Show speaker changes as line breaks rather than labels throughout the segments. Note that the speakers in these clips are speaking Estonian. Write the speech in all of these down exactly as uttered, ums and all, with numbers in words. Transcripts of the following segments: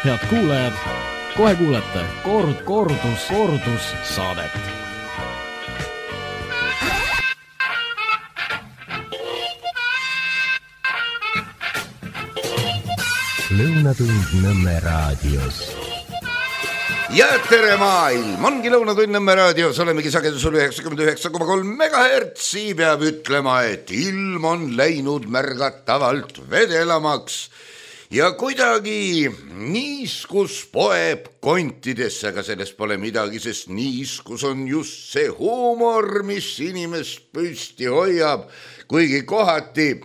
Head kuulajad, kohe kuulete kord, kordus, kordus saadet.
Lõunatund Nõmme raadios.
Ja tere maailm, ongi Lõunatund Nõmme raadios, olemegi sagedusel üheksakümmend üheksa koma kolm megahertsi, peab ütlema, et ilm on läinud märgatavalt vedelamaks ja kuidagi niiskus poeb kontidesse, aga sellest pole midagi, sest niiskus on just see huumor, mis inimest püsti hoiab, kuigi kohati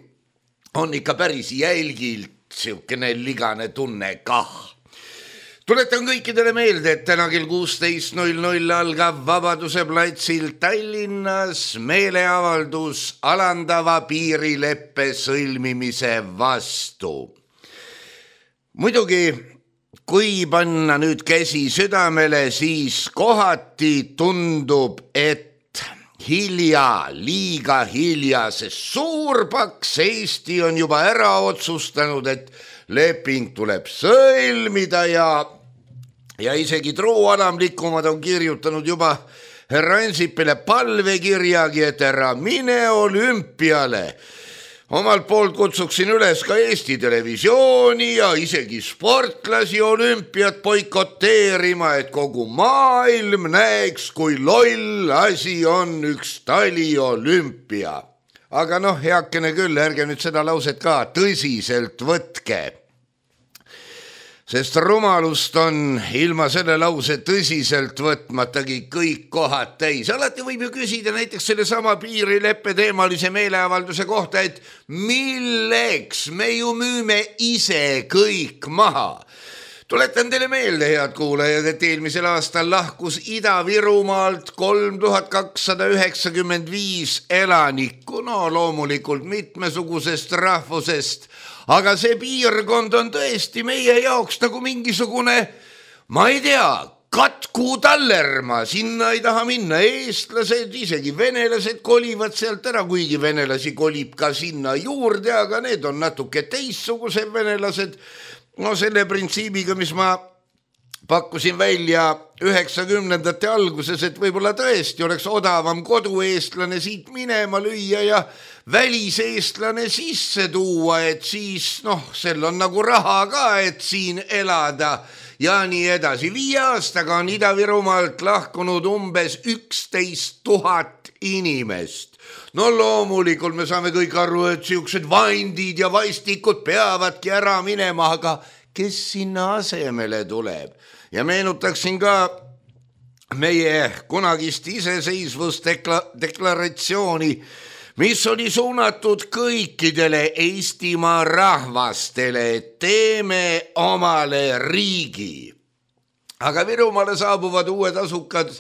on ikka päris jälgilt siukene ligane tunne kah. Tuletan kõikidele meelde, et täna kell kuusteist null null algab Vabaduse platsil Tallinnas meeleavaldus alandava piirileppe sõlmimise vastu. Muidugi, kui panna nüüd käsi südamele, siis kohati tundub, et hilja, liiga hilja, sest suurpaks Eesti on juba ära otsustanud, et leping tuleb sõlmida ja, ja isegi truualamlikumad on kirjutanud juba härra Ansipile palvekirjagi, et ära mine olümpiale. Omalt poolt kutsuksin üles ka Eesti Televisiooni ja isegi sportlasi olümpiat boikoteerima, et kogu maailm näeks, kui loll asi on üks taliolümpia. Aga noh, heakene küll, ärge nüüd seda lauset ka tõsiselt võtke. Sest rumalust on ilma selle lause tõsiselt võtmatagi kõik kohad täis. Alati võib ju küsida näiteks selle sama piirileppe teemalise meeleavalduse kohta, et milleks me ju müüme ise kõik maha. Tuletan teile meelde, head kuulajad, et eelmisel aastal lahkus Ida-Virumaalt kolm tuhat kakssada üheksakümmend viis elanikku, no loomulikult mitmesugusest rahvusest, aga see piirkond on tõesti meie jaoks nagu mingisugune, ma ei tea, Katku Tallerma, sinna ei taha minna, eestlased, isegi venelased kolivad sealt ära, kuigi venelasi kolib ka sinna juurde, aga need on natuke teissugused venelased. No selle printsiibiga, mis ma pakkusin välja üheksakümnendate alguses, et võib-olla tõesti oleks odavam kodueestlane siit minema lüüa ja väliseestlane sisse tuua, et siis noh, sel on nagu raha ka, et siin elada ja nii edasi. Viie aastaga on Ida-Virumaalt lahkunud umbes üksteist tuhat inimest. No loomulikult me saame kõik aru, et siuksed vaindid ja vaistikud peavadki ära minema, aga kes sinna asemele tuleb? Ja meenutaksin ka meie kunagist iseseisvusdeklaratsiooni, mis oli suunatud kõikidele Eestimaa rahvastele, et teeme omale riigi. Aga Virumaale saabuvad uued asukad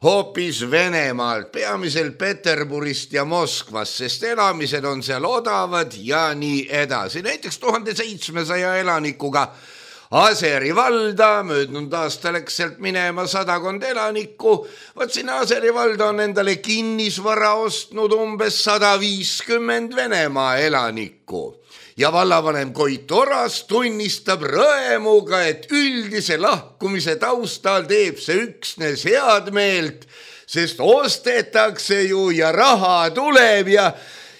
hoopis Venemaalt, peamiselt Peterburist ja Moskvast, sest elamised on seal odavad ja nii edasi. Näiteks tuhande seitsmesaja elanikuga Aseri valda, möödunud aasta läks sealt minema sadakond elanikku, võt sinna Aseri valda on endale kinnisvara ostnud umbes sada viiskümmend Venemaa elanikku. Ja vallavanem Koit Oras tunnistab rõemuga, et üldise lahkumise taustal teeb see üksnes head meelt, sest ostetakse ju ja raha tuleb ja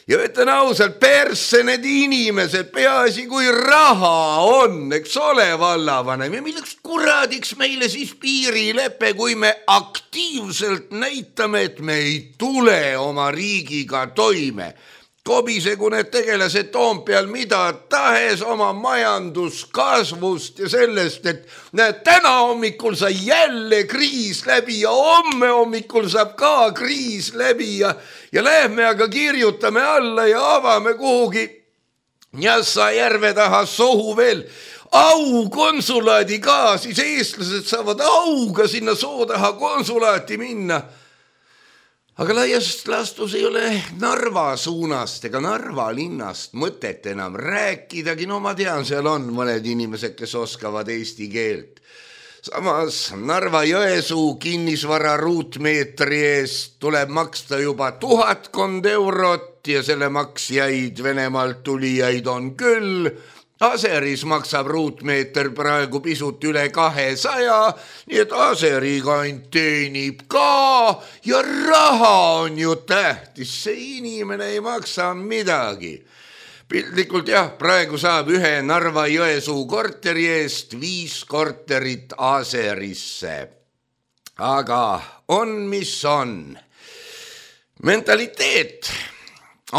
Ja ütlen ausalt, persse need inimesed, peaasi kui raha on, eks ole vallavanem. Ja milleks kuradiks meile siis piirilepe, kui me aktiivselt näitame, et me ei tule oma riigiga toime. Kobisegu need tegelased Toompeal mida tahes oma majanduskasvust ja sellest, et näed, täna hommikul sai jälle kriis läbi ja homme hommikul saab ka kriis läbi ja, ja lähme aga kirjutame alla ja avame kuhugi Njassa järve taha sohu veel au konsulaadi ka, siis eestlased saavad auga sinna soo taha konsulaati minna. Aga laiast lastus ei ole Narva suunast ega Narva linnast mõtet enam rääkidagi. No ma tean, seal on mõned inimesed, kes oskavad eesti keelt. Samas Narva-Jõesuu kinnisvara ruutmeetri eest tuleb maksta juba tuhatkond eurot ja selle maksjaid Venemaalt tulijaid on küll. Aseris maksab ruutmeeter praegu pisut üle kahesaja, nii et Aseri kant teenib ka ja raha on ju tähtis, see inimene ei maksa midagi. Pildlikult jah, praegu saab ühe Narva-Jõesuu korteri eest viis korterit Aserisse. Aga on, mis on. Mentaliteet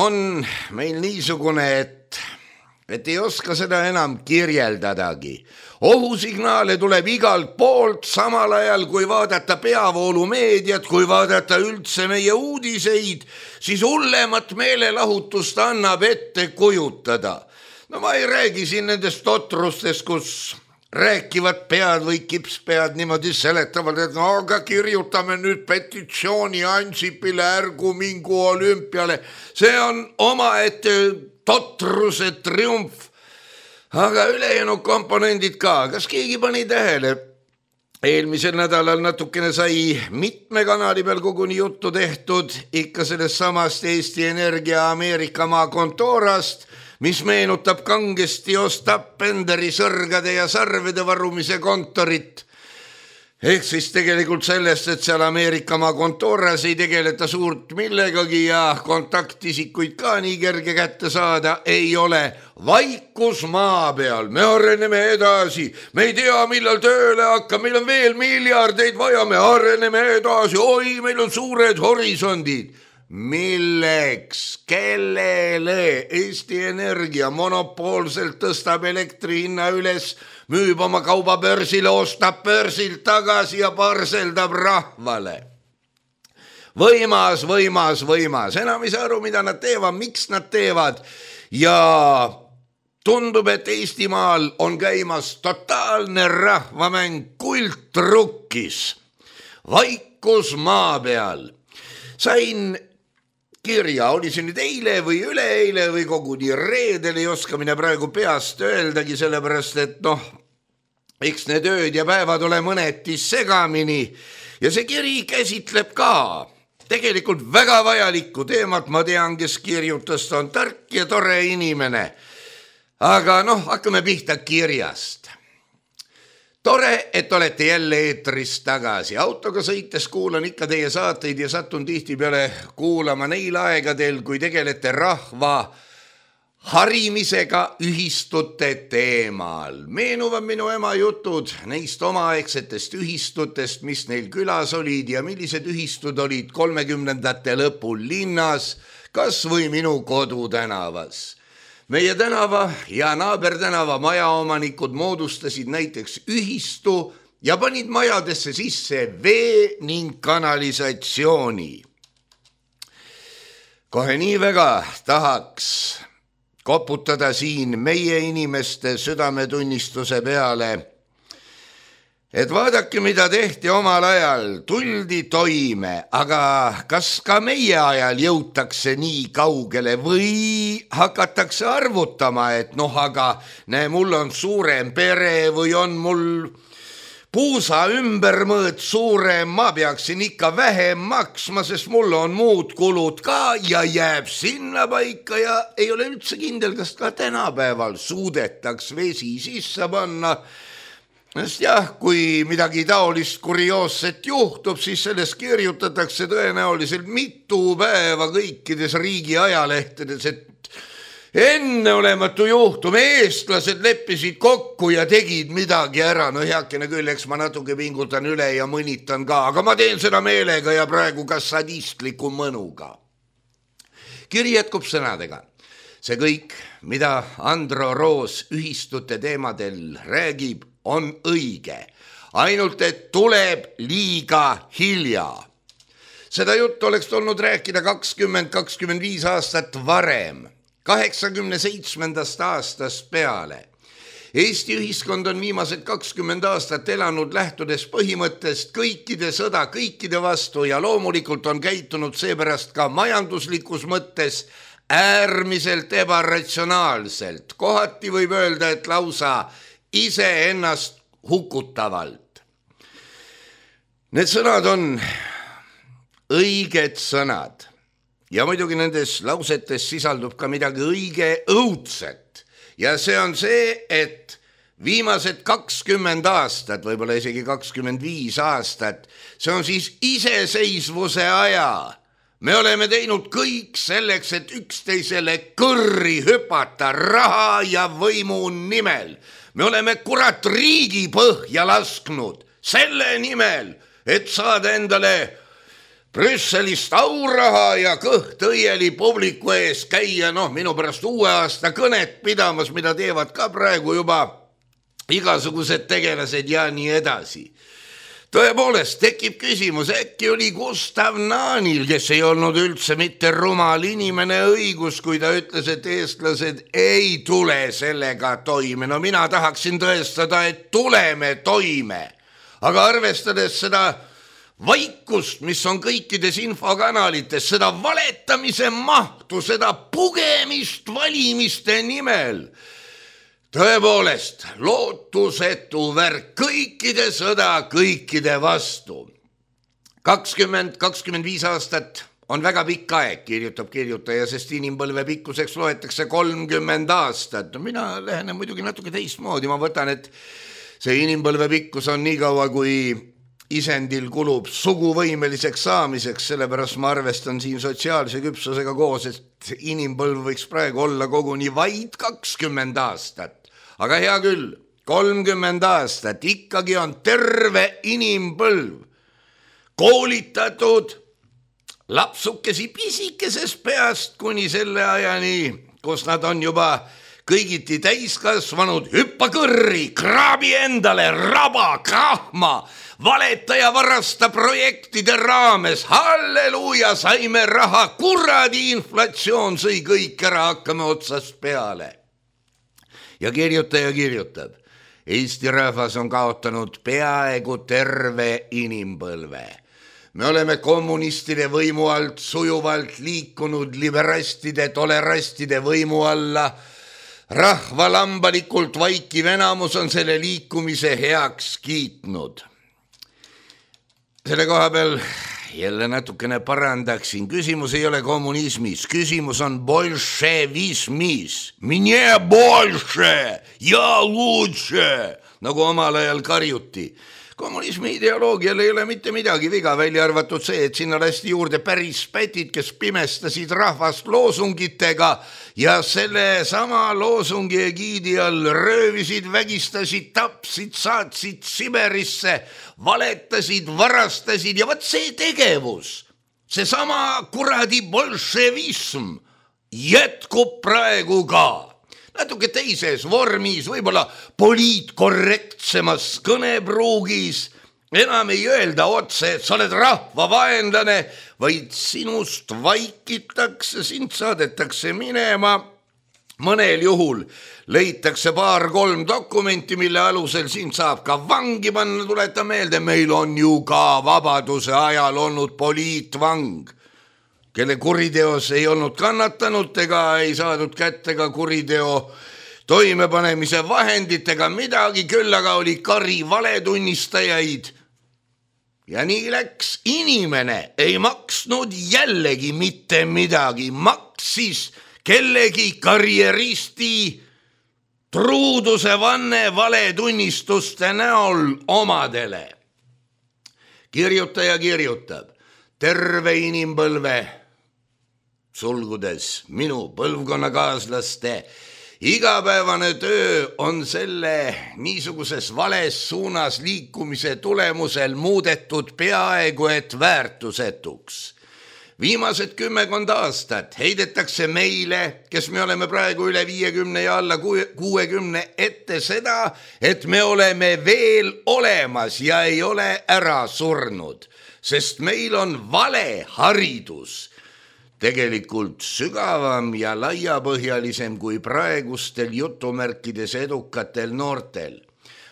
on meil niisugune, et et ei oska seda enam kirjeldadagi. Ohusignaale tuleb igalt poolt samal ajal, kui vaadata peavoolumeediat, kui vaadata üldse meie uudiseid, siis hullemat meelelahutust annab ette kujutada. No ma ei räägi siin nendest totrustest, kus rääkivad pead või kipspead niimoodi seletavad, et no aga kirjutame nüüd petitsiooni Ansipile, ärgu mingu olümpiale. See on omaette totruse triumf. Aga ülejäänud komponendid ka. Kas keegi pani tähele? Eelmisel nädalal natukene sai mitme kanali peal koguni juttu tehtud ikka sellest samast Eesti Energia Ameerika maa kontoorast, mis meenutab kangesti Ostap Benderi sõrgade ja sarvede varumise kontorit. Ehk siis tegelikult sellest, et seal Ameerika maa kontooras ei tegeleta suurt millegagi ja kontaktisikuid ka nii kerge kätte saada ei ole. Vaikus maa peal, me areneme edasi, me ei tea, millal tööle hakkab, meil on veel miljardeid vaja, me areneme edasi, oi, meil on suured horisondid. Milleks, kellele Eesti Energia monopoolselt tõstab elektri hinna üles, müüb oma kauba börsile, ostab börsilt tagasi ja parseldab rahvale. Võimas, võimas, võimas. Enam ei saa aru, mida nad teevad, miks nad teevad. Ja tundub, et Eestimaal on käimas totaalne rahvamäng kultrukkis. Vaikus maa peal. Sain kirja, oli see nüüd eile või üleeile või koguni reedel, ei oska mine praegu peast öeldagi, sellepärast et noh, eks need ööd ja päevad ole mõneti segamini ja see kiri käsitleb ka tegelikult väga vajalikku teemat, ma tean, kes kirjutas, ta on tark ja tore inimene. Aga noh, hakkame pihta kirjast. Tore, et olete jälle eetris tagasi. Autoga sõites kuulan ikka teie saateid ja satun tihti peale kuulama neil aegadel, kui tegelete rahva harimisega ühistute teemal. Meenuvad minu ema jutud neist omaaegsetest ühistutest, mis neil külas olid ja millised ühistud olid kolmekümnendate lõpul linnas, kas või minu kodutänavas. Meie tänava ja naabertänava majaomanikud moodustasid näiteks ühistu ja panid majadesse sisse vee ning kanalisatsiooni. Kohe nii väga tahaks koputada siin meie inimeste südametunnistuse peale, et vaadake, mida tehti omal ajal, tuldi toime, aga kas ka meie ajal jõutakse nii kaugele või hakatakse arvutama, et noh, aga näe, mul on suurem pere või on mul puusa ümbermõõt suurem, ma peaksin ikka vähem maksma, sest mul on muud kulud ka ja jääb sinna paika ja ei ole üldse kindel, kas ka tänapäeval suudetaks vesi sisse panna. Sest jah, kui midagi taolist kurioosset juhtub, siis sellest kirjutatakse tõenäoliselt mitu päeva kõikides riigi ajalehtedes, et enneolematu juhtum, eestlased leppisid kokku ja tegid midagi ära. No heakene küll, eks ma natuke pingutan üle ja mõnitan ka, aga ma teen seda meelega ja praegu ka sadistliku mõnuga. Kiri jätkub sõnadega. See kõik, mida Andro Roos ühistute teemadel räägib, on õige, ainult et tuleb liiga hilja. Seda juttu oleks tulnud rääkida kakskümmend kakskümmend viis aastat varem, kaheksakümne seitsmendast aastast peale. Eesti ühiskond on viimased kakskümmend aastat elanud lähtudes põhimõttest kõikide sõda kõikide vastu ja loomulikult on käitunud seepärast ka majanduslikus mõttes äärmiselt ebaratsionaalselt. Kohati võib öelda, et lausa ise ennast hukutavalt. Need sõnad on õiged sõnad ja muidugi nendes lausetes sisaldub ka midagi õige õudset ja see on see, et viimased kakskümmend aastat, võib-olla isegi kakskümmend viis aastat, see on siis iseseisvuse aja. Me oleme teinud kõik selleks, et üksteisele kõrri hüpata raha ja võimu nimel. Me oleme kurat riigi põhja lasknud selle nimel, et saada endale Brüsselist auraha ja kõht õieli publiku ees käia, noh, minu pärast uue aasta kõnet pidamas, mida teevad ka praegu juba igasugused tegelased ja nii edasi. Tõepoolest tekib küsimus, äkki oli Gustav Naanil, kes ei olnud üldse mitte rumal inimene, õigus, kui ta ütles, et eestlased ei tule sellega toime. No mina tahaksin tõestada, et tuleme toime, aga arvestades seda vaikust, mis on kõikides infokanalites, seda valetamise mahtu, seda pugemist valimiste nimel, tõepoolest, lootusetu värk, kõikide sõda, kõikide vastu. kakskümmend, kakskümmend viis aastat on väga pikk aeg, kirjutab kirjutaja, sest inimpõlve pikkuseks loetakse kolmkümmend aastat. Mina lähenen muidugi natuke teistmoodi, ma võtan, et see inimpõlve pikkus on nii kaua, kui isendil kulub suguvõimeliseks saamiseks, sellepärast ma arvestan siin sotsiaalse küpsusega koos, et inimpõlv võiks praegu olla koguni vaid kakskümmend aastat. Aga hea küll, kolmkümmend aastat, ikkagi on terve inimpõlv koolitatud lapsukesi pisikesest peast kuni selle ajani, kus nad on juba kõigiti täiskasvanud, hüppa kõrri, kraabi endale, raba, krahma, valeta ja varasta projektide raames, halleluuja, saime raha, kuradi inflatsioon sõi kõik ära, hakkame otsast peale. Ja kirjutaja kirjutab, Eesti rahvas on kaotanud peaaegu terve inimpõlve. Me oleme kommunistide võimu alt sujuvalt liikunud liberastide, tolerastide võimu alla. Rahva lambalikult vaikiv enamus on selle liikumise heaks kiitnud. Selle koha peal jälle natukene parandaksin. Küsimus ei ole kommunismis, küsimus on bolševismis. Mine bolše ja lutše, nagu omal ajal karjuti. Kommunismi ideoloogial ei ole mitte midagi viga, välja arvatud see, et sinna lasti juurde päris pätid, kes pimestasid rahvast loosungitega ja selle sama loosungi egiidi all röövisid, vägistasid, tapsid, saatsid Siberisse, valetasid, varastasid ja võt see tegevus, see sama kuradi bolševism jätkub praegu ka. Natuke teises vormis, võib-olla poliitkorrektsemas kõnepruugis, enam ei öelda otse, et sa oled rahva vaenlane, vaid sinust vaikitakse, sind saadetakse minema. Mõnel juhul leitakse paar-kolm dokumenti, mille alusel sind saab ka vangi panna, tuleta meelde, meil on ju ka vabaduse ajal olnud poliitvang, kelle kuriteos ei olnud kannatanud ega ei saadud kätte ka kuriteo toimepanemise vahenditega midagi, küll aga oli kari valetunnistajaid. Ja nii läks, inimene ei maksnud jällegi mitte midagi, maksis kellegi karjeristi truuduse vanne valetunnistuste näol omadele. Kirjutaja kirjutab, terve inimpõlve sulgudes minu põlvkonnakaaslaste igapäevane töö on selle niisuguses vales suunas liikumise tulemusel muudetud peaaegu et väärtusetuks. Viimased kümmekond aastat heidetakse meile, kes me oleme praegu üle viiekümne ja alla kuuekümne ette seda, et me oleme veel olemas ja ei ole ära surnud, sest meil on vale haridus. Tegelikult sügavam ja laiapõhjalisem kui praegustel jutumärkides edukatel noortel.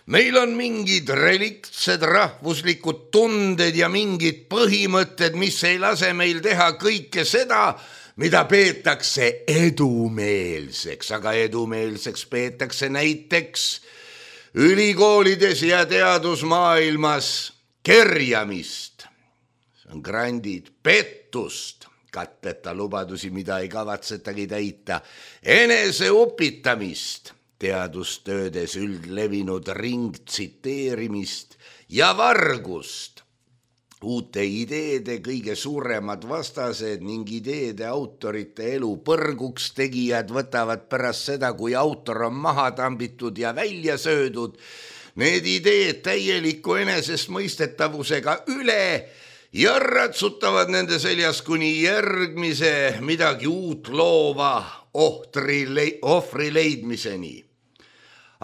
Meil on mingid reliktsed rahvuslikud tunded ja mingid põhimõtted, mis ei lase meil teha kõike seda, mida peetakse edumeelseks, aga edumeelseks peetakse näiteks ülikoolides ja teadusmaailmas kerjamist, see on grandid, pettust, katteta lubadusi, mida ei kavatsetagi täita, eneseupitamist, teadustöödes üldlevinud ringtsiteerimist ja vargust, uute ideede kõige suuremad vastased ning ideede autorite elu põrguks tegijad võtavad pärast seda, kui autor on maha tambitud ja välja söödud, need ideed täieliku enesestmõistetavusega üle ja ratsutavad nende seljas kuni järgmise midagi uut loova ohvri, ohvri leidmiseni.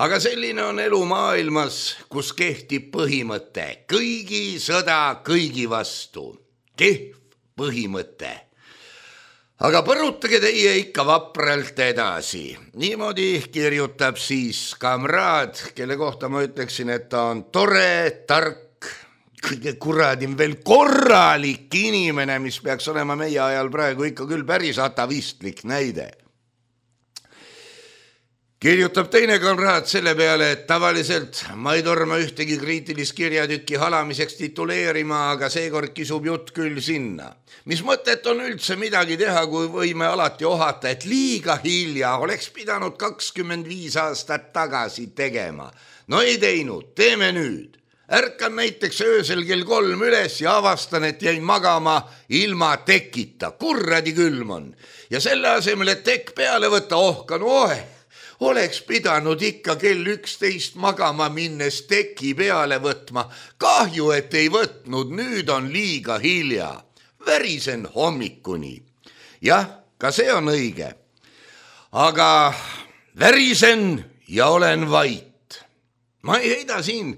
Aga selline on elu maailmas, kus kehtib põhimõte kõigi sõda kõigi vastu. Kehv põhimõte. Aga põrutage teie ikka vapralt edasi. Niimoodi kirjutab siis kamraad, kelle kohta ma ütleksin, et ta on tore, tark, kõige kuradim veel korralik inimene, mis peaks olema meie ajal praegu ikka küll päris atavistlik näide. Kirjutab teine kamraad selle peale, et tavaliselt ma ei torma ühtegi kriitilist kirjatükki halamiseks tituleerima, aga seekord kisub jutt küll sinna. Mis mõtet on üldse midagi teha, kui võime alati ohata, et liiga hilja oleks pidanud kakskümmend viis aastat tagasi tegema. No ei teinud, teeme nüüd. Ärkan näiteks öösel kell kolm üles ja avastan, et jäin magama ilma tekita. Kurradi külm on. Ja selle asemel, et tekk peale võtta, ohkan, oe. Oleks pidanud ikka kell üksteist magama minnes teki peale võtma. Kahju, et ei võtnud, nüüd on liiga hilja. Värisen hommikuni. Jah, ka see on õige. Aga värisen ja olen vait. Ma ei heida siin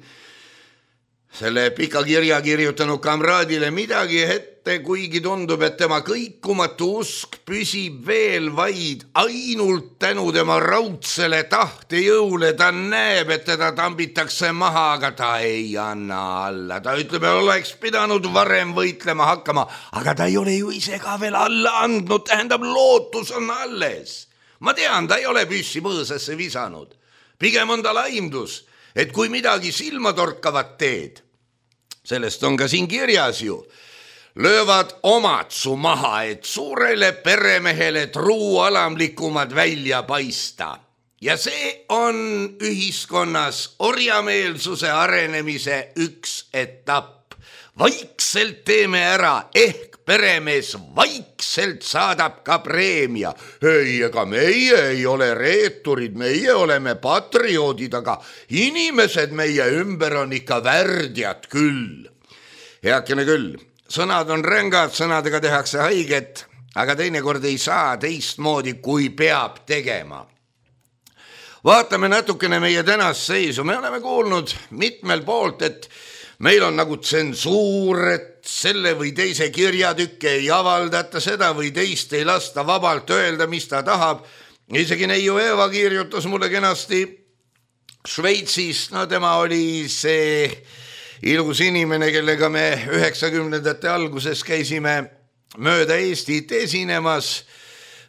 selle pika kirja kirjutanud kamraadile midagi ette, kuigi tundub, et tema kõikumatu usk püsib veel vaid ainult tänu tema raudsele tahtejõule. Ta näeb, et teda tambitakse maha, aga ta ei anna alla. Ta ütleb, et oleks pidanud varem võitlema hakkama, aga ta ei ole ju ise ka veel alla andnud, tähendab lootus on alles. Ma tean, ta ei ole püssi põõsasse visanud. Pigem on ta laimdus, et kui midagi silmatorkavat teed, sellest on ka siin kirjas ju, löövad omad su maha, et suurele peremehele truu alamlikumad välja paista. Ja see on ühiskonnas orjameelsuse arenemise üks etapp. Vaikselt teeme ära, ehk peremees vaikselt saadab ka preemia. Ei, ega meie ei ole reeturid, meie oleme patrioodid, aga inimesed meie ümber on ikka värdjad küll. Heakene küll, sõnad on rängad, sõnadega tehakse haiget, aga teinekord ei saa teistmoodi, kui peab tegema. Vaatame natukene meie tänast seisu. Me oleme kuulnud mitmel poolt, et meil on nagu tsensuur, et selle või teise kirjatükke ei avaldata, seda või teist ei lasta vabalt öelda, mis ta tahab. Isegi Neiu Eeva kirjutas mulle kenasti Šveitsis, no tema oli see ilus inimene, kellega me üheksakümnendate alguses käisime mööda Eestit esinemas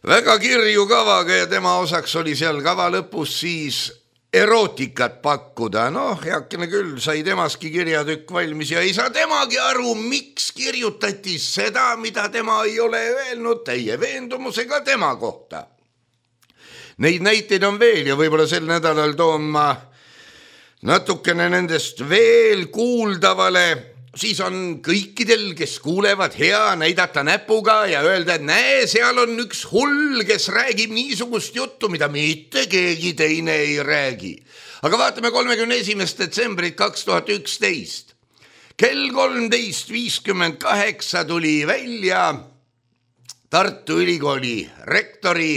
väga kirju kavaga ja tema osaks oli seal kava lõpus siis erootikat pakkuda. Noh, heakene küll, sai temaski kirjatükk valmis ja ei saa temagi aru, miks kirjutati seda, mida tema ei ole öelnud teie veendumusega tema kohta. Neid näiteid on veel ja võib-olla sel nädalal toon ma natukene nendest veel kuuldavale. Siis on kõikidel, kes kuulevad, hea näidata näpuga ja öelda, et näe, seal on üks hull, kes räägib niisugust juttu, mida mitte keegi teine ei räägi. Aga vaatame kolmekümne esimest detsembrit kaks tuhat üksteist. Kell kolmteist viiskümmend kaheksa tuli välja Tartu Ülikooli rektori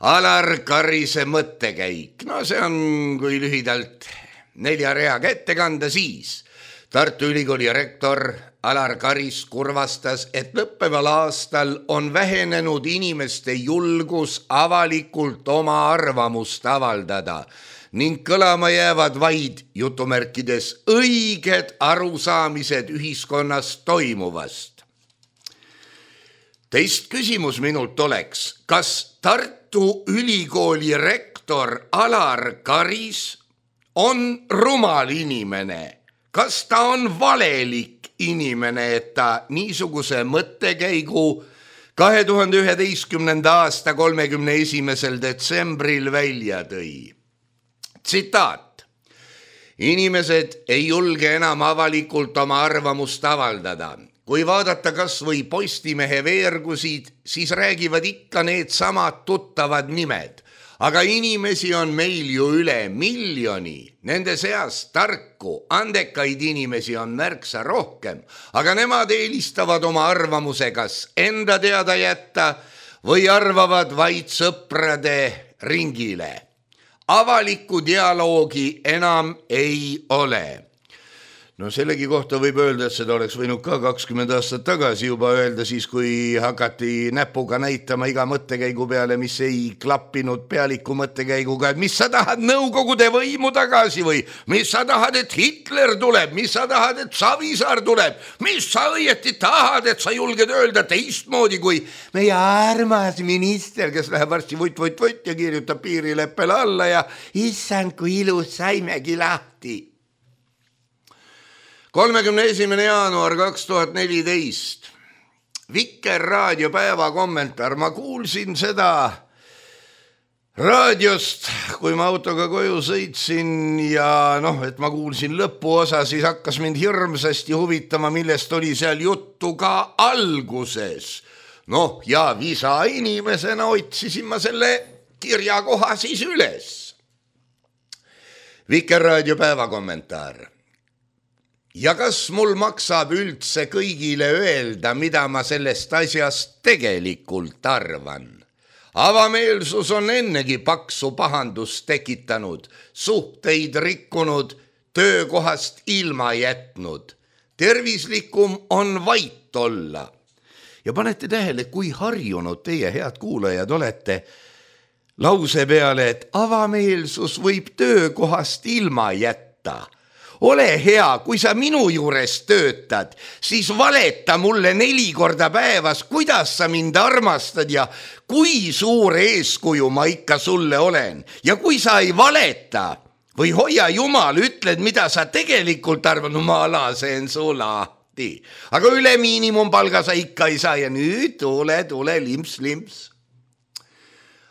Alar Karise mõttekäik. No see on, kui lühidalt nelja reaga ette kanda, siis Tartu Ülikooli rektor Alar Karis kurvastas, et lõppeval aastal on vähenenud inimeste julgus avalikult oma arvamust avaldada ning kõlama jäävad vaid jutumärkides õiged arusaamised ühiskonnas toimuvast. Teist küsimus minult oleks, kas Tartu Ülikooli rektor Alar Karis on rumal inimene? Kas ta on valelik inimene, et ta niisuguse mõttekäigu kahe tuhande üheteistkümnenda aasta kolmekümne esimesel detsembril välja tõi. Tsitaat. Inimesed ei julge enam avalikult oma arvamust avaldada. Kui vaadata kas või Postimehe veergusid, siis räägivad ikka need samad tuttavad nimed. Aga inimesi on meil ju üle miljoni. Nende seas tarku, andekaid inimesi on märksa rohkem, aga nemad eelistavad oma arvamuse kas enda teada jätta või arvavad vaid sõprade ringile. Avalikku dialoogi enam ei ole. No sellegi kohta võib öelda, et seda oleks võinud ka kakskümmend aastat tagasi juba öelda, siis kui hakati näpuga näitama iga mõttekäigu peale, mis ei klappinud pealiku mõttekäiguga, et mis sa tahad Nõukogude võimu tagasi või mis sa tahad, et Hitler tuleb, mis sa tahad, et Savisaar tuleb, mis sa õieti tahad, et sa julged öelda teistmoodi kui meie armas minister, kes läheb varsti vutt-vutt-vutt ja kirjutab piirileppele alla ja issand, kui ilus saimegi lahti. kolmekümne esimene jaanuar kaks tuhat neliteist. Vikerraadio päeva kommentaar. Ma kuulsin seda raadiost, kui ma autoga koju sõitsin ja noh, et ma kuulsin lõpuosa, siis hakkas mind hirmsasti huvitama, millest oli seal juttu ka alguses. Noh, ja visa inimesena otsisin ma selle kirjakoha siis üles. Vikerraadio päeva kommentaar. Ja kas mul maksab üldse kõigile öelda, mida ma sellest asjast tegelikult arvan? Avameelsus on ennegi paksu pahandust tekitanud, suhteid rikkunud, töökohast ilma jätnud. Tervislikum on vait olla. Ja panete tähele, kui harjunud teie, head kuulajad, olete lause peale, et avameelsus võib töökohast ilma jätta. Ole hea, kui sa minu juures töötad, siis valeta mulle neli korda päevas, kuidas sa mind armastad ja kui suur eeskuju ma ikka sulle olen. Ja kui sa ei valeta või hoia jumal, ütled, mida sa tegelikult arvad, no ma lasen su lahti. Aga üle miinimumpalga sa ikka ei saa ja nüüd tule, tule, limps, limps.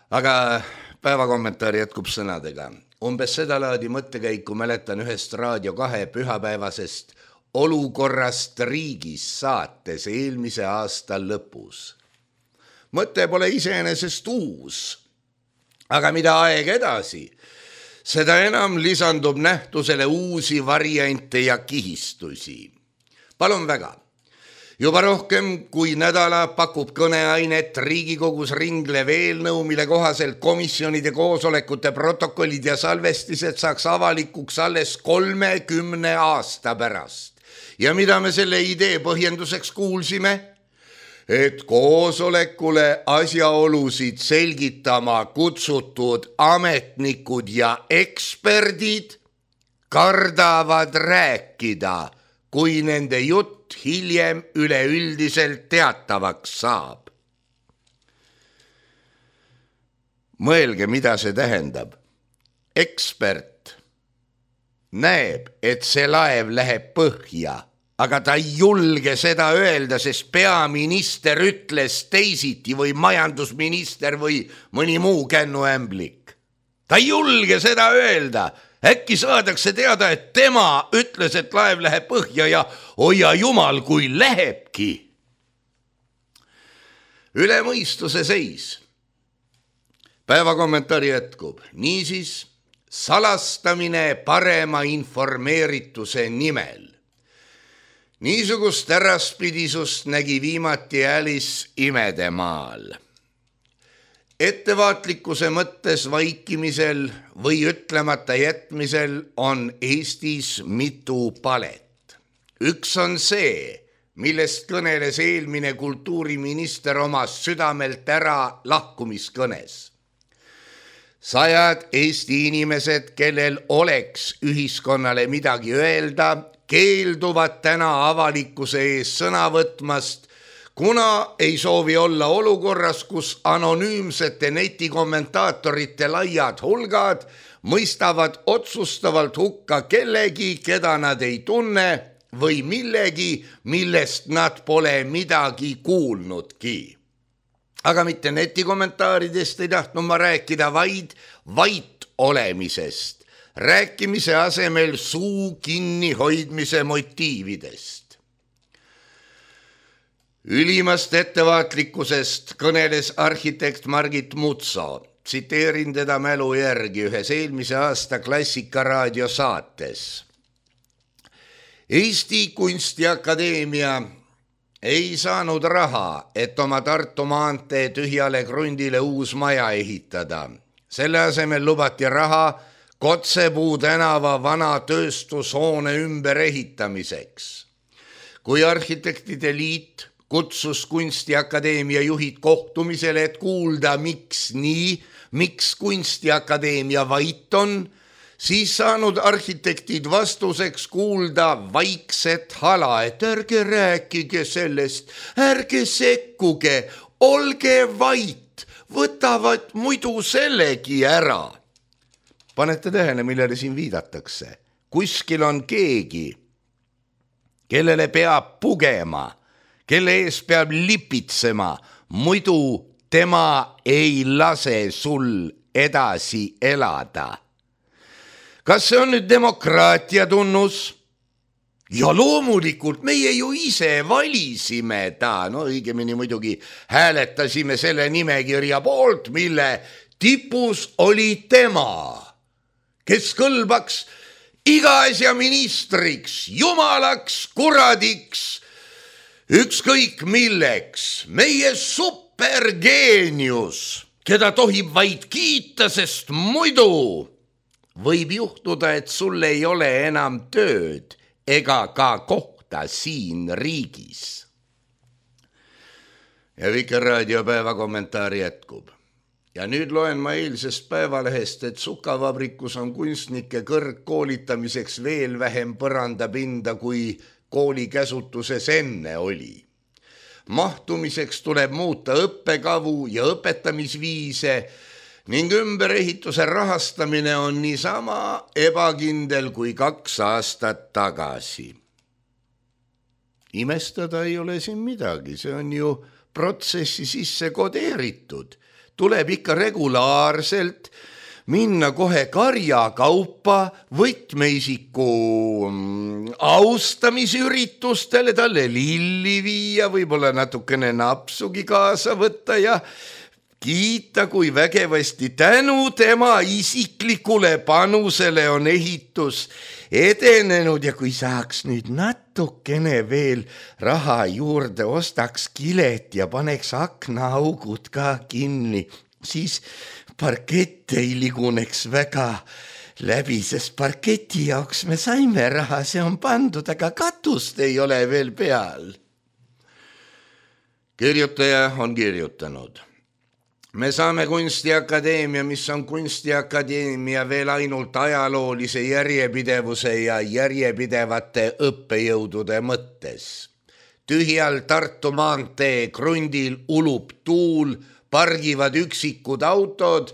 Aga päeva kommentaar jätkub sõnadega. Umbes seda laadi mõttekäiku mäletan ühest Raadio kahe pühapäevasest olukorrast riigis saates eelmise aasta lõpus. Mõte pole iseenesest uus, aga mida aeg edasi, seda enam lisandub nähtusele uusi variante ja kihistusi. Palun väga. Juba rohkem kui nädala pakub kõneainet Riigikogus ringlev eelnõu, mille kohaselt komisjonide koosolekute protokollid ja salvestised saaks avalikuks alles kolmekümne aasta pärast. Ja mida me selle idee põhjenduseks kuulsime? Et koosolekule asjaolusid selgitama kutsutud ametnikud ja eksperdid kardavad rääkida, kui nende jutt hiljem üleüldiselt teatavaks saab. Mõelge, mida see tähendab. Ekspert näeb, et see laev läheb põhja, aga ta ei julge seda öelda, sest peaminister ütles teisiti või majandusminister või mõni muu kännuämblik. Ta ei julge seda öelda. Äkki saadakse teada, et tema ütles, et laev läheb põhja ja hoia jumal, kui lähebki. Üle mõistuse seis. Päeva kommentaari jätkub. Niisiis, salastamine parema informeerituse nimel. Niisugust äraspidisust nägi viimati Alice Imedemaal. Ettevaatlikkuse mõttes vaikimisel või ütlemata jätmisel on Eestis mitu palet. Üks on see, millest kõneles eelmine kultuuriminister oma südamelt ära lahkumiskõnes. Sajad Eesti inimesed, kellel oleks ühiskonnale midagi öelda, keelduvad täna avalikkuse ees sõna võtmast, kuna ei soovi olla olukorras, kus anonüümsete netikommentaatorite laiad hulgad mõistavad otsustavalt hukka kellegi, keda nad ei tunne või millegi, millest nad pole midagi kuulnudki. aga mitte netikommentaaridest ei tahtnud ma rääkida, vaid vait olemisest, rääkimise asemel suu kinni hoidmise motiividest. Ülimast ettevaatlikkusest kõneles arhitekt Margit Mutso. Tsiteerin teda mälu järgi ühes eelmise aasta Klassikaraadio saates. Eesti Kunstiakadeemia ei saanud raha, et oma Tartu maantee tühjale krundile uus maja ehitada. Selle asemel lubati raha Kotsepuu tänava vana tööstushoone ümber ehitamiseks. Kui arhitektide liit kutsus Kunstiakadeemia juhid kohtumisele, et kuulda, miks nii, miks Kunstiakadeemia vait on, siis saanud arhitektid vastuseks kuulda vaikset hala, et ärge rääkige sellest, ärge sekkuge, olge vait, võtavad muidu sellegi ära. Panete tähele, millele siin viidatakse. Kuskil on keegi, kellele peab pugema, kelle ees peab lipitsema, muidu tema ei lase sul edasi elada. Kas see on nüüd demokraatia tunnus? Ja loomulikult meie ju ise valisime ta, no õigemini muidugi hääletasime selle nimekirja poolt, mille tipus oli tema, kes kõlbaks iga asja ministriks, jumalaks, kuradiks, ükskõik milleks, meie supergeenius, keda tohib vaid kiita, sest muidu võib juhtuda, et sul ei ole enam tööd ega ka kohta siin riigis. Ja Vikerraadio päevakommentaar jätkub. Ja nüüd loen ma eilsest päevalehest, et Sukavabrikus on kunstnike kõrgkoolitamiseks veel vähem põrandapinda, kui kooli käsutuses enne oli. Mahtumiseks tuleb muuta õppekavu ja õpetamisviise ning ümberehituse rahastamine on niisama ebakindel kui kaks aastat tagasi. Imestada ei ole siin midagi, see on ju protsessi sisse kodeeritud. Tuleb ikka regulaarselt minna kohe karjakaupa võtmeisiku austamisüritustele, talle lilli viia, võib-olla natukene napsugi kaasa võtta ja kiita, kui vägevasti tänu tema isiklikule panusele on ehitus edenenud ja kui saaks nüüd natukene veel raha juurde, ostaks kilet ja paneks aknaaugud ka kinni, siis parkett ei liguneks väga läbi, sest parketi jaoks me saime raha, see on pandud, aga katust ei ole veel peal. Kirjutaja on kirjutanud. Me saame Kunstiakadeemia, mis on Kunstiakadeemia veel ainult ajaloolise järjepidevuse ja järjepidevate õppejõudude mõttes. Tühjal Tartu maantee krundil ulub tuul, pargivad üksikud autod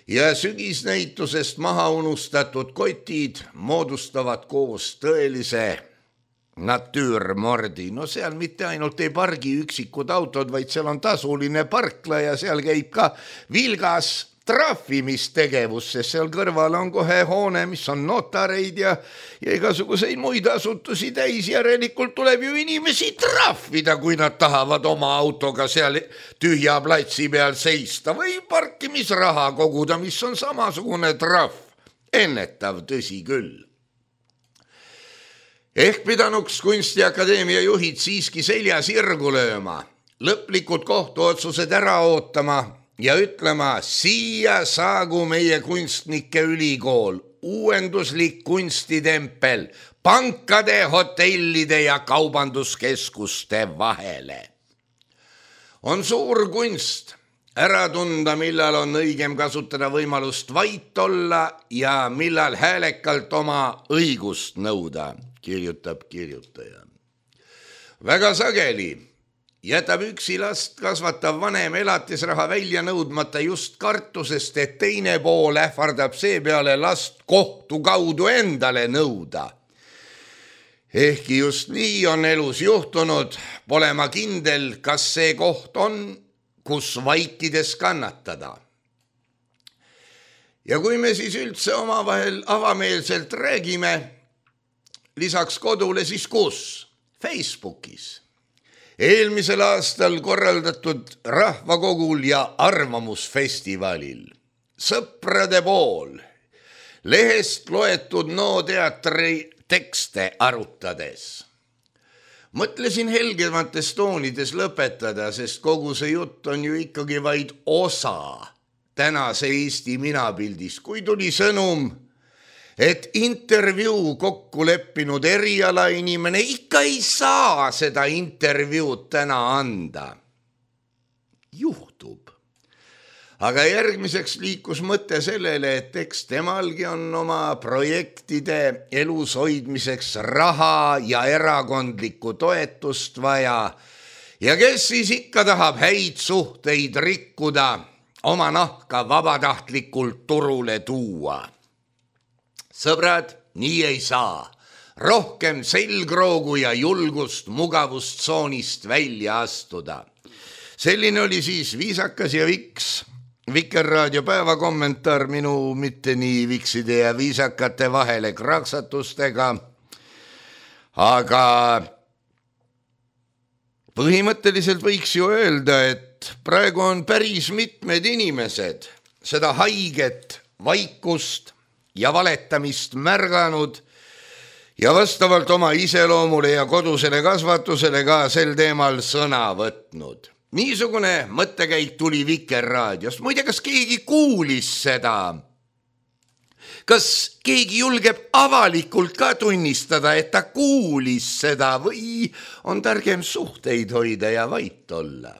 ja sügisnäitusest maha unustatud kotid moodustavad koos tõelise natüürmordi. No seal mitte ainult ei pargi üksikud autod, vaid seal on tasuline parkla ja seal käib ka vilgas trahvimistegevus, sest seal kõrval on kohe hoone, mis on notareid ja, ja igasuguseid muid asutusi täis. Järelikult tuleb ju inimesi trahvida, kui nad tahavad oma autoga seal tühja platsi peal seista või parkimisraha koguda, mis on samasugune trahv. Ennetav, tõsi küll. Ehk pidanuks Kunstiakadeemia juhid siiski selja sirgu lööma, lõplikud kohtuotsused ära ootama ja ütlema, siia saagu meie kunstnike ülikool, uuenduslik kunstitempel, pankade, hotellide ja kaubanduskeskuste vahele. On suur kunst ära tunda, millal on õigem kasutada võimalust vait olla ja millal häälekalt oma õigust nõuda, kirjutab kirjutaja. Väga sageli jätab üksi last kasvatav vanem elatisraha välja nõudmata just kartusest, et teine pool ähvardab seepeale last kohtu kaudu endale nõuda. Ehkki just nii on elus juhtunud, pole ma kindel, kas see koht on kus vaikides kannatada. Ja kui me siis üldse omavahel avameelselt räägime, lisaks kodule siis kus? Facebookis. Eelmisel aastal korraldatud rahvakogul ja arvamusfestivalil. Sõprade pool. Lehest loetud No teatri tekste arutades. Mõtlesin helgemates toonides lõpetada, sest kogu see jutt on ju ikkagi vaid osa tänase Eesti minapildis, kui tuli sõnum, et intervjuu kokku leppinud eriala inimene ikka ei saa seda intervjuud täna anda. Juhtub. Aga järgmiseks liikus mõte sellele, et eks temalgi on oma projektide elus hoidmiseks raha ja erakondlikku toetust vaja. Ja kes siis ikka tahab häid suhteid rikkuda, oma nahka vabatahtlikult turule tuua. Sõbrad, nii ei saa. Rohkem selgroogu ja julgust mugavustsoonist välja astuda. Selline oli siis viisakas ja viks Vikerraadio päevakommentaar minu mitte nii vikside ja viisakate vahele kraksatustega. Aga põhimõtteliselt võiks ju öelda, et praegu on päris mitmed inimesed seda haiget vaikust ja valetamist märganud ja vastavalt oma iseloomule ja kodusele kasvatusele ka sel teemal sõna võtnud. Niisugune mõttekäik tuli Vikerraadiost. Muide, kas keegi kuulis seda? Kas keegi julgeb avalikult ka tunnistada, et ta kuulis seda või on targem suhteid hoida ja vait olla?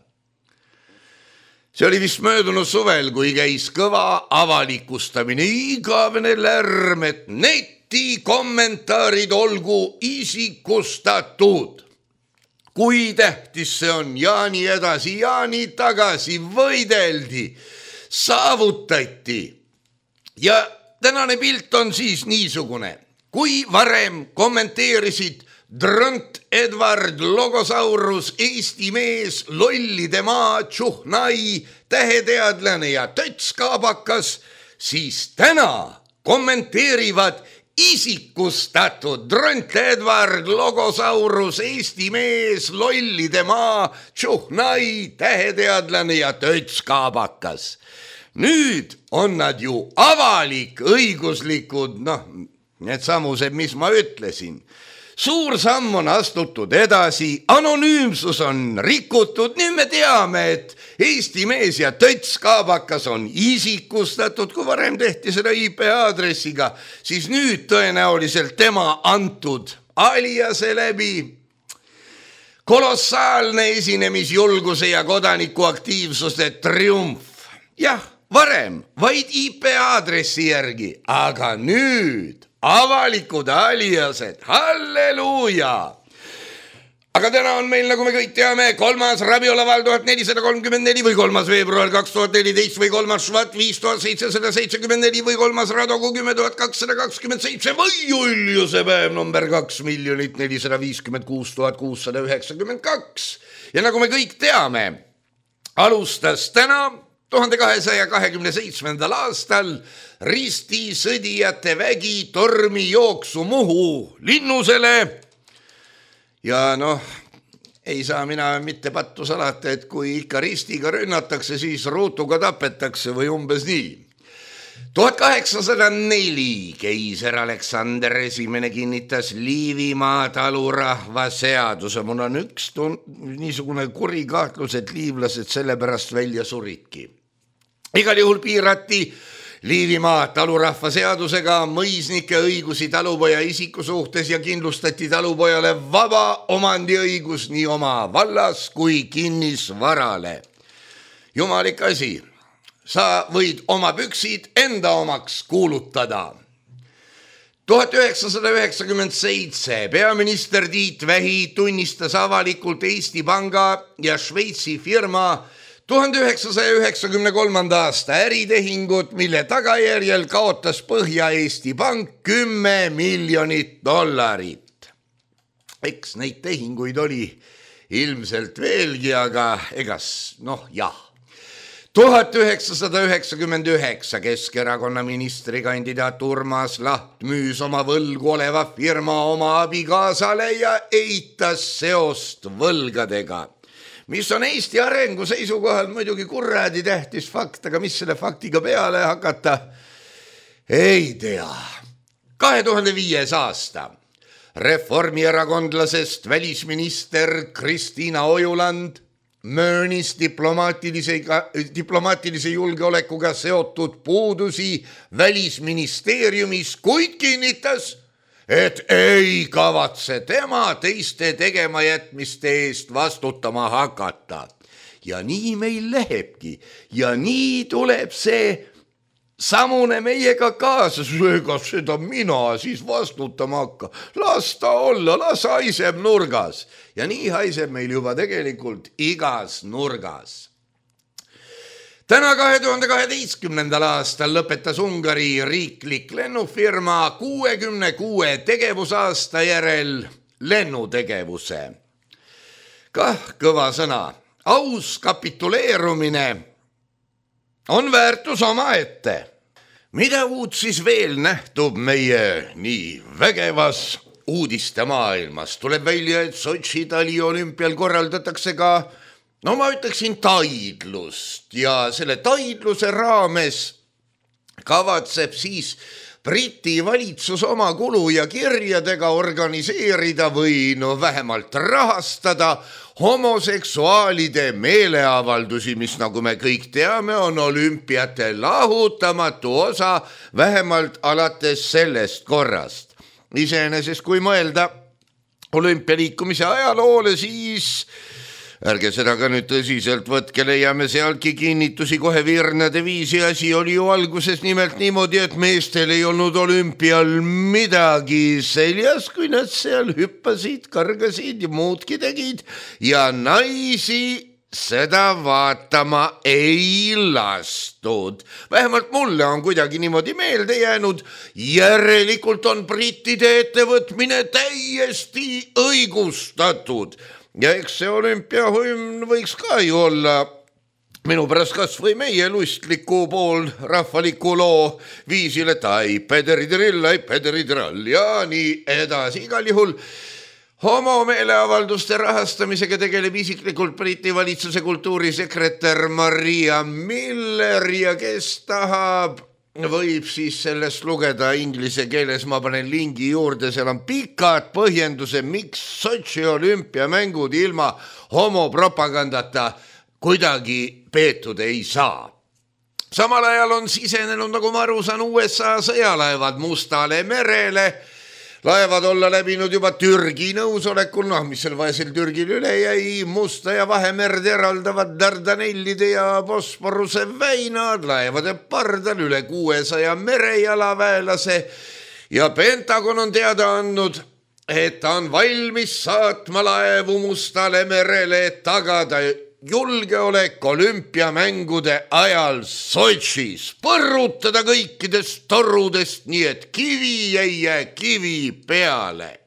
See oli vist möödunud suvel, kui käis kõva avalikustamine, igavene lärm, et neti kommentaarid olgu isikustatud. Kui tähtis see on ja nii edasi ja nii tagasi võideldi, saavutati. Ja tänane pilt on siis niisugune. Kui varem kommenteerisid Dront Edward Logosaurus, Eesti mees, lollide maa, Tšuhnai, täheteadlane ja tötskaabakas, siis täna kommenteerivad isikustatud Dront Edward Logosaurus, Eesti mees, lollide maa, Tšuhnai, täheteadlane ja tötskaabakas. Nüüd on nad ju avalik õiguslikud, noh, need samused, mis ma ütlesin. Suur samm on astutud edasi, anonüümsus on rikutud, nüüd me teame, et Eesti mees ja tötskaabakas on isikustatud, kui varem tehti seda I P aadressiga, siis nüüd tõenäoliselt tema antud aliase läbi. Kolossaalne esinemisjulguse ja kodanikuaktiivsuse triumf. Jah, varem vaid I P aadressi järgi, aga nüüd avalikud aliased, halleluuja! Aga täna on meil, nagu me kõik teame, kolmas Rabiolaval tuhat nelisada kolmkümmend neli või kolmas veebruar kaks tuhat neliteist või kolmas Švat viis tuhat seitsesada seitsekümmend neli või kolmas Radogu kümme tuhat kakssada kakskümmend seitse või Juliuse päev number kaks miljonit nelisada viiskümmend kuus tuhat kuussada üheksakümmend kaks. Ja nagu me kõik teame, alustas täna tuhande kahesaja kahekümne seitsmendal aastal ristisõdijate vägi tormi jooksu Muhu linnusele. Ja noh, ei saa mina mitte pattu salata, et kui ikka ristiga rünnatakse, siis ruutuga tapetakse või umbes nii. tuhat kaheksasada neli keiser Aleksander esimene kinnitas Liivimaa talurahva seaduse. Mul on üks tun- niisugune kuri kahtlus, et liivlased sellepärast välja suridki. Igal juhul piirati Liivimaa talurahva seadusega mõisnike õigusi talupoja isiku suhtes ja kindlustati talupojale vaba omandiõigus nii oma vallas kui kinnisvarale. Jumalik asi, sa võid oma püksid enda omaks kuulutada. tuhat üheksasada üheksakümmend seitse peaminister Tiit Vähi tunnistas avalikult Eesti Panga ja Šveitsi firma tuhande üheksasaja üheksakümne kolmanda aasta äritehingut, mille tagajärjel kaotas Põhja-Eesti Pank kümme miljonit dollarit. Eks neid tehinguid oli ilmselt veelgi, aga egas, noh jah. tuhat üheksasada üheksakümmend üheksa Keskerakonna ministrikandidaat Urmas Laht müüs oma võlgu oleva firma oma abikaasale ja eitas seost võlgadega, mis on Eesti arengu seisukohal muidugi kuradi tähtis fakt, aga mis selle faktiga peale hakata, ei tea. kahe tuhande viies aasta reformierakondlasest välisminister Kristiina Ojuland möönis diplomaatilise, diplomaatilise julgeolekuga seotud puudusi välisministeeriumis, kuid kinnitas, et ei kavatse tema teiste tegemajätmiste eest vastutama hakata. Ja nii meil lähebki ja nii tuleb see samune meiega kaasa, ega seda mina siis vastutama hakka. Las ta olla, las haiseb nurgas. Ja nii haiseb meil juba tegelikult igas nurgas. Täna kahe tuhande kaheteistkümnendal aastal lõpetas Ungari riiklik lennufirma kuuekümne kuue tegevusaasta järel lennutegevuse. Kah kõva sõna. Aus kapituleerumine on väärtus omaette. Mida uut siis veel nähtub meie nii vägevas uudiste maailmas? Tuleb välja, et Sotši taliolümpial korraldatakse ka, no ma ütleksin, taidlust ja selle taidluse raames kavatseb siis Briti valitsus oma kulu ja kirjadega organiseerida või no vähemalt rahastada homoseksuaalide meeleavaldusi, mis nagu me kõik teame, on olümpiate lahutamatu osa vähemalt alates sellest korrast. Iseenesest kui mõelda olümpialiikumise ajaloole, siis ärge seda ka nüüd tõsiselt võtke, leiame sealtki kinnitusi kohe virnade viisi. Asi oli ju alguses nimelt niimoodi, et meestel ei olnud olümpial midagi seljas, kui nad seal hüppasid, kargasid ja muudki tegid ja naisi seda vaatama ei lastud. Vähemalt mulle on kuidagi niimoodi meelde jäänud. Järelikult on brittide ettevõtmine täiesti õigustatud. Ja eks see olümpiahümn võiks ka ju olla minu pärast kas või meie lustliku pool rahvaliku loo viisil, et ai pederidiril, ai pederidirall ja nii edasi. Igal juhul homomeeleavalduste rahastamisega tegeleb isiklikult Briti valitsuse kultuurisekretär Maria Miller ja kes tahab, võib siis sellest lugeda inglise keeles, ma panen lingi juurde, seal on pikad põhjenduse, miks Sotši olümpiamängud ilma homopropagandata kuidagi peetud ei saa. Samal ajal on sisenenud, nagu ma aru saan, U S A sõjalaevad Mustale merele. Laevad olla läbinud juba Türgi nõusolekul, noh, mis seal vaja seal Türgil üle jäi, Musta ja Vahemerd eraldavad Dardanellide ja Bosporuse väinad, laevade pardal üle kuuesaja merejalaväelase ja Pentagon on teada andnud, et ta on valmis saatma laevu Mustale merele, et tagada julgeolek olümpiamängude ajal Sotšis, põrrutada kõikidest torudest, nii et kivi ei jää kivi peale.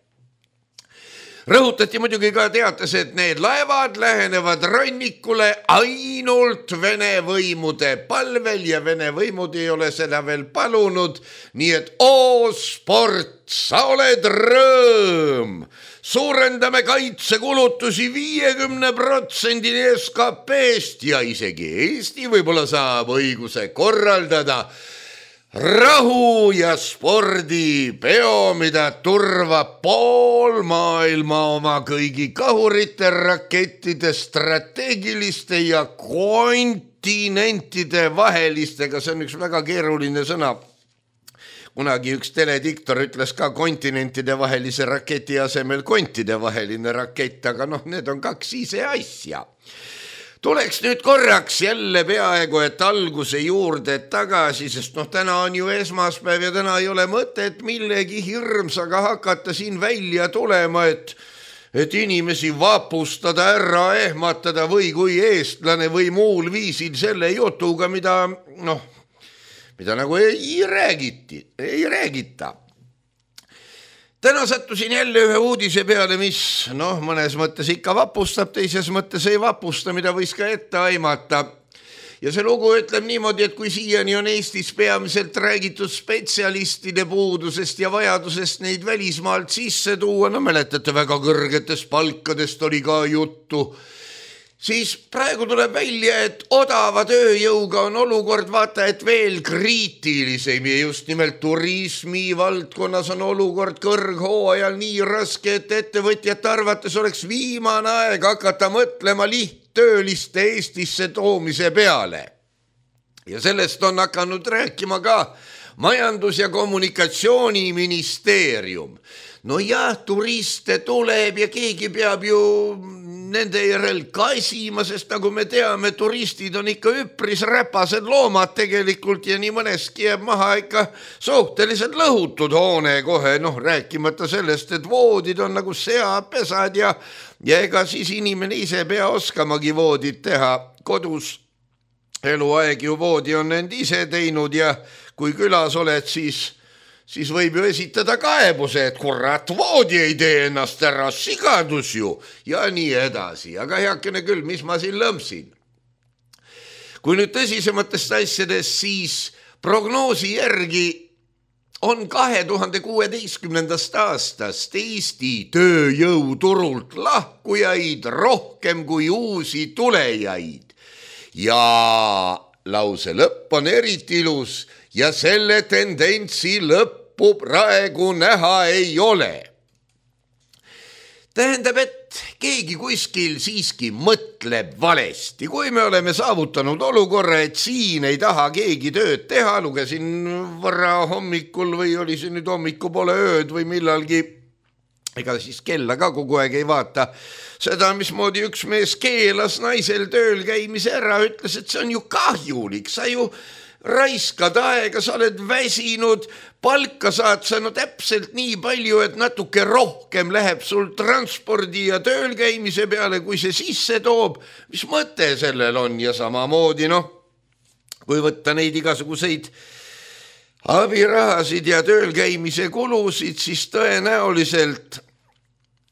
Rõhutati muidugi ka teates, et need laevad lähenevad rannikule ainult Vene võimude palvel ja Vene võimud ei ole seda veel palunud, nii et oo sport, sa oled rõõm. Suurendame kaitsekulutusi viiekümne protsendini S K P-st ja isegi Eesti võib-olla saab õiguse korraldada rahu ja spordipeo, mida turvab pool maailma oma kõigi kahurite, rakettide, strateegiliste ja kontinentide vahelistega. See on üks väga keeruline sõna. Kunagi üks telediktor ütles ka kontinentide vahelise raketi asemel kontide vaheline rakett, aga noh, need on kaks ise asja. Tuleks nüüd korraks jälle peaaegu, et alguse juurde tagasi, sest noh, täna on ju esmaspäev ja täna ei ole mõtet millegi hirmsaga hakata siin välja tulema, et, et inimesi vapustada, ära ehmatada või kui eestlane või muul viisil selle jutuga, mida noh, mida nagu ei räägiti, ei räägita. Täna sattusin jälle ühe uudise peale, mis noh, mõnes mõttes ikka vapustab, teises mõttes ei vapusta, mida võis ka ette aimata. ja see lugu ütleb niimoodi, et kui siiani on Eestis peamiselt räägitud spetsialistide puudusest ja vajadusest neid välismaalt sisse tuua, no mäletate, väga kõrgetest palkadest oli ka juttu, siis praegu tuleb välja, et odava tööjõuga on olukord vaata, et veel kriitilisem ja just nimelt turismi valdkonnas on olukord kõrghooajal nii raske, et ettevõtjate arvates oleks viimane aeg hakata mõtlema lihttööliste Eestisse toomise peale. Ja sellest on hakanud rääkima ka Majandus- ja Kommunikatsiooniministeerium. No jah, turiste tuleb ja keegi peab ju nende järel kaisima, sest nagu me teame, turistid on ikka üpris räpased loomad tegelikult ja nii mõneski jääb maha ikka suhteliselt lõhutud hoone kohe, noh rääkimata sellest, et voodid on nagu seapesad ja, ja ega siis inimene ise pea oskamagi voodit teha kodus. Eluaeg ju voodi on end ise teinud ja kui külas oled, siis siis võib ju esitada kaebuse, et kurat, voodi ei tee ennast ära, sigadus ju ja nii edasi. Aga heakene küll, mis ma siin lõmsin. Kui nüüd tõsisematest asjadest, siis prognoosi järgi on kahe tuhande kuueteistkümnendast aastast Eesti tööjõuturult lahkujaid rohkem kui uusi tulejaid. Ja lause lõpp on eriti ilus ja selle tendentsi lõppu praegu näha ei ole. Tähendab, et keegi kuskil siiski mõtleb valesti. Kui me oleme saavutanud olukorra, et siin ei taha keegi tööd teha, lugesin võrra hommikul või oli see nüüd hommiku poole ööd või millalgi, ega siis kella ka kogu aeg ei vaata, seda, mismoodi üks mees keelas naisel tööl käimise ära, ütles, et see on ju kahjulik, sa ju raiskad aega, sa oled väsinud, palka saad sa no täpselt nii palju, et natuke rohkem läheb sul transpordi ja tööl käimise peale, kui see sisse toob. Mis mõte sellel on ja samamoodi, noh, kui võtta neid igasuguseid abirahasid ja tööl käimise kulusid, siis tõenäoliselt,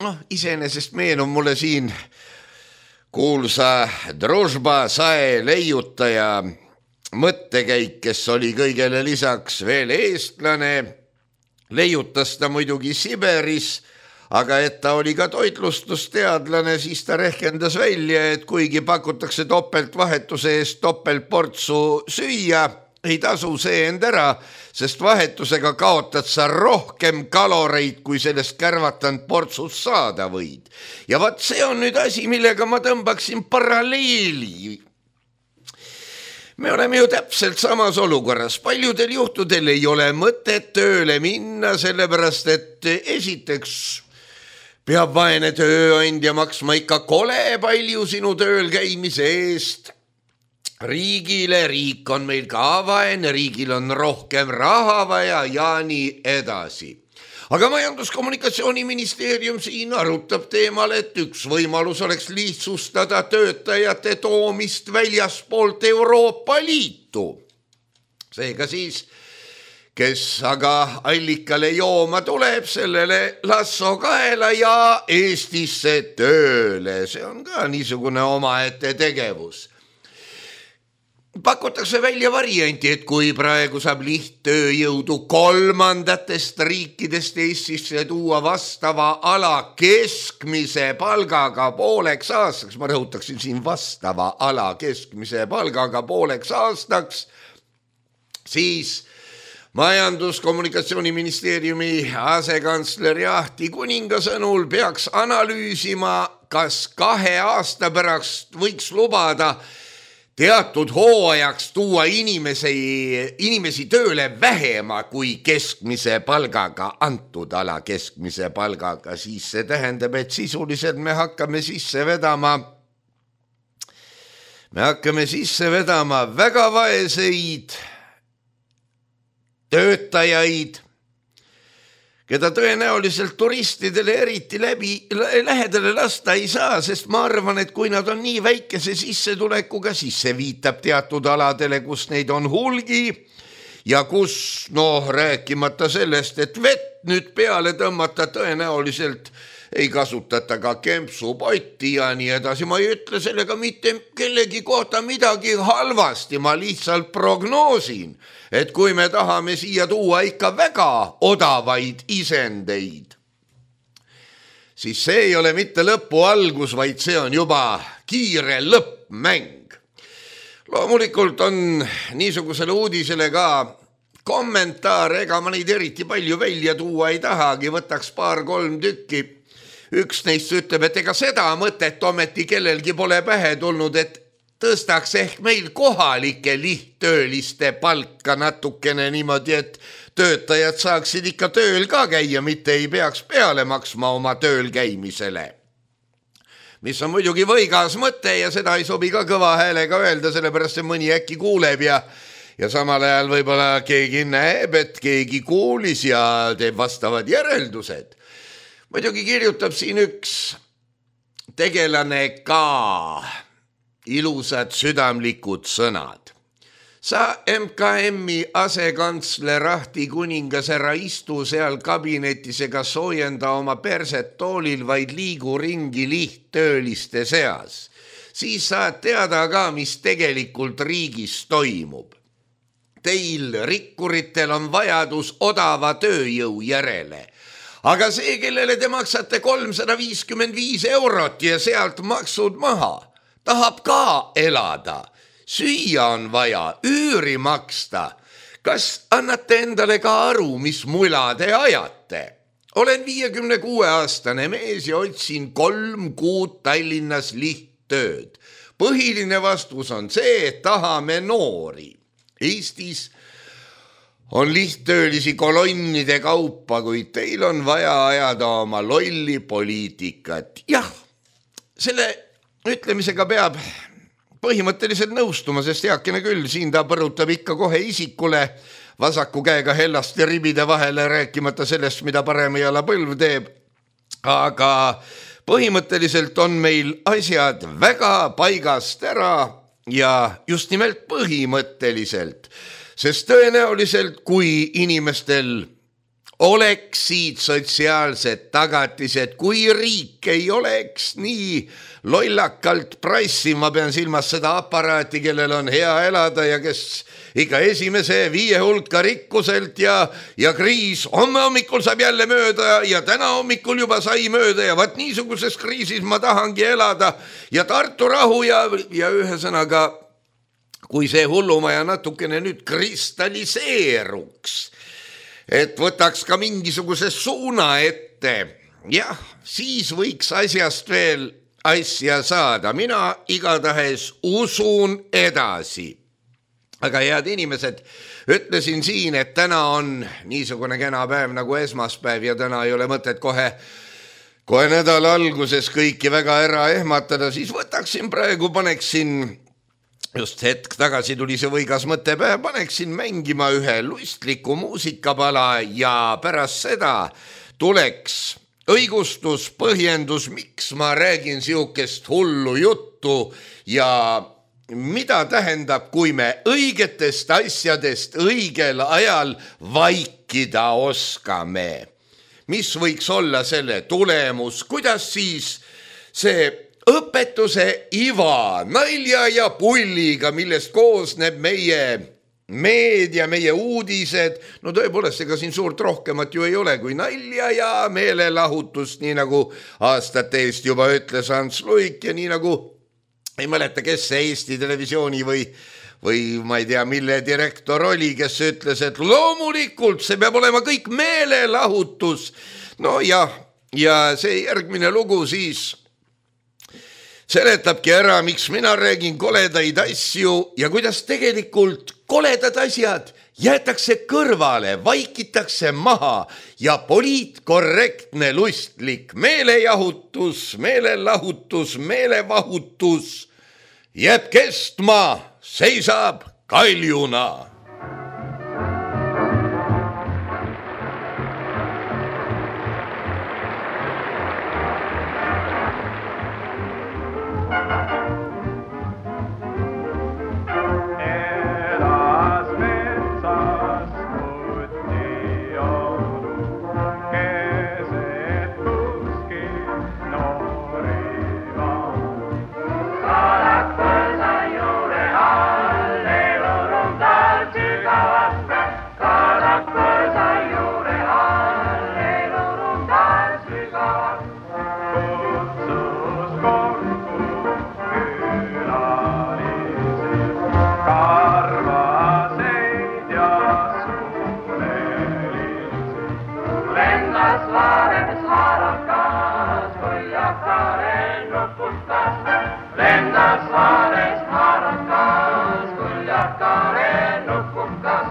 noh, iseenesest meenub mulle siin kuulsa Družba sae leiutaja mõttekäik, kes oli kõigele lisaks veel eestlane, leiutas ta muidugi Siberis, aga et ta oli ka toitlustusteadlane, siis ta rehkendas välja, et kuigi pakutakse topeltvahetuse eest topeltportsu süüa, ei tasu see end ära, sest vahetusega kaotad sa rohkem kaloreid, kui sellest kärvatanud portsust saada võid. Ja vaat see on nüüd asi, millega ma tõmbaksin paralleeli. Me oleme ju täpselt samas olukorras. Paljudel juhtudel ei ole mõtet tööle minna, sellepärast et esiteks peab vaene tööandja maksma ikka kole palju sinu tööl käimise eest. Riigile, riik on meil ka vaene, riigil on rohkem raha vaja ja nii edasi. Aga Majandus-Kommunikatsiooniministeerium siin arutab teemal, et üks võimalus oleks lihtsustada töötajate toomist väljaspoolt Euroopa Liitu. Seega siis, kes aga allikale jooma tuleb, sellele lasso kaela ja Eestisse tööle. See on ka niisugune omaette tegevus. Pakutakse välja varianti, et kui praegu saab lihttööjõudu kolmandatest riikidest Eestisse tuua vastava ala keskmise palgaga pooleks aastaks, ma rõhutaksin siin vastava ala keskmise palgaga pooleks aastaks, siis Majandus-Kommunikatsiooniministeeriumi asekantsler Ahti Kuninga sõnul peaks analüüsima, kas kahe aasta pärast võiks lubada teatud hooajaks tuua inimesi, inimesi tööle vähema kui keskmise palgaga, antud ala keskmise palgaga, siis see tähendab, et sisuliselt me hakkame sisse vedama, me hakkame sisse vedama väga vaeseid töötajaid, keda tõenäoliselt turistidele eriti läbi lähedale lasta ei saa, sest ma arvan, et kui nad on nii väikese sissetulekuga, siis see viitab teatud aladele, kus neid on hulgi ja kus, noh, rääkimata sellest, et vett nüüd peale tõmmata tõenäoliselt ei kasutata ka kempsupotti ja nii edasi. Ma ei ütle sellega mitte kellegi kohta midagi halvasti, ma lihtsalt prognoosin, et kui me tahame siia tuua ikka väga odavaid isendeid, siis see ei ole mitte lõpu algus, vaid see on juba kiire lõppmäng. Loomulikult on niisugusele uudisele ka kommentaar, ega ma neid eriti palju välja tuua ei tahagi, võtaks paar-kolm tükki. Üks neist ütleb, et ega seda mõtet ometi kellelgi pole pähe tulnud, et tõstaks ehk meil kohalike lihttööliste palka natukene niimoodi, et töötajad saaksid ikka tööl ka käia, mitte ei peaks peale maksma oma tööl käimisele. Mis on muidugi võigas mõte ja seda ei sobi ka kõva häälega öelda, sellepärast see mõni äkki kuuleb ja, ja samal ajal võib-olla keegi näeb, et keegi kuulis ja teeb vastavad järeldused. Muidugi kirjutab siin üks tegelane ka ilusad südamlikud sõnad. Sa M K M-i asekantsler Ahti kuningas ära istu seal kabinetis ega soojenda oma perset toolil, vaid liigu ringi lihttööliste seas. Siis saad teada ka, mis tegelikult riigis toimub. Teil rikkuritel on vajadus odava tööjõu järele. Aga see, kellele te maksate kolmsada viiskümmend viis eurot ja sealt maksud maha, tahab ka elada. Süüa on vaja, üüri maksta. Kas annate endale ka aru, mis mula te ajate? Olen viiekümne kuue aastane mees ja otsin kolm kuud Tallinnas lihttööd. Põhiline vastus on see, et tahame noori. Eestis on lihttöölisi kolonnide kaupa, kuid teil on vaja ajada oma lolli poliitikat. Jah, selle ütlemisega peab põhimõtteliselt nõustuma, sest heakene küll, siin ta põrutab ikka kohe isikule vasaku käega hellast ja ribide vahele, rääkimata sellest, mida parem jala põlv teeb. Aga põhimõtteliselt on meil asjad väga paigast ära ja just nimelt põhimõtteliselt, sest tõenäoliselt, kui inimestel oleksid sotsiaalsed tagatised, kui riik ei oleks nii lollakalt prassi, ma pean silmas seda aparaati, kellel on hea elada ja kes ikka esimese viie hulka rikkuselt ja, ja kriis homme hommikul saab jälle mööda ja täna hommikul juba sai mööda ja vaat niisuguses kriisis ma tahangi elada ja Tartu rahu ja, ja ühesõnaga, kui see hullumaja natukene nüüd kristalliseeruks, et võtaks ka mingisuguse suuna ette, jah, siis võiks asjast veel asja saada. Mina igatahes usun edasi. Aga head inimesed, ütlesin siin, et täna on niisugune kena päev nagu esmaspäev ja täna ei ole mõtet kohe, kohe nädala alguses kõiki väga ära ehmatada, siis võtaksin praegu, paneksin just hetk tagasi tuli see võigas mõttepäev, paneksin mängima ühe lustliku muusikapala ja pärast seda tuleks õigustus, põhjendus, miks ma räägin siukest hullu juttu ja mida tähendab, kui me õigetest asjadest õigel ajal vaikida oskame. Mis võiks olla selle tulemus, kuidas siis see õpetuse iva, nalja ja pulliga, millest koosneb meie meedia, meie uudised, no tõepoolest, ega siin suurt rohkemat ju ei ole kui nalja ja meelelahutust, nii nagu aastate eest juba ütles Ants Luik ja nii nagu ei mäleta, kes see Eesti Televisiooni või, või ma ei tea, mille direktor oli, kes ütles, et loomulikult see peab olema kõik meelelahutus. No ja, ja see järgmine lugu siis seletabki ära, miks mina räägin koledaid asju ja kuidas tegelikult koledad asjad jäetakse kõrvale, vaikitakse maha ja poliitkorrektne lustlik meelejahutus, meelelahutus, meelevahutus jääb kestma, seisab kaljuna.
lendas Saares harakas, kuljakaren nupukas. Lendas Saares harakas, kuljakaren nupukas.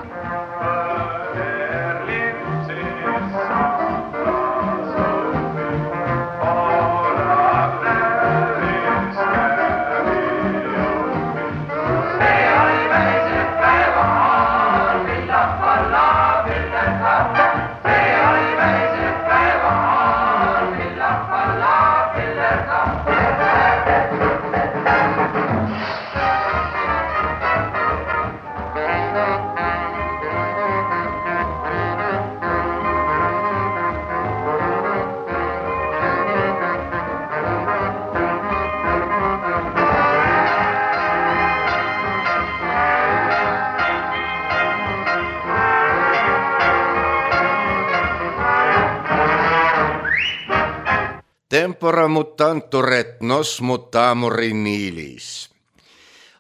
Tempora mutantur et nos mutamur in nihis.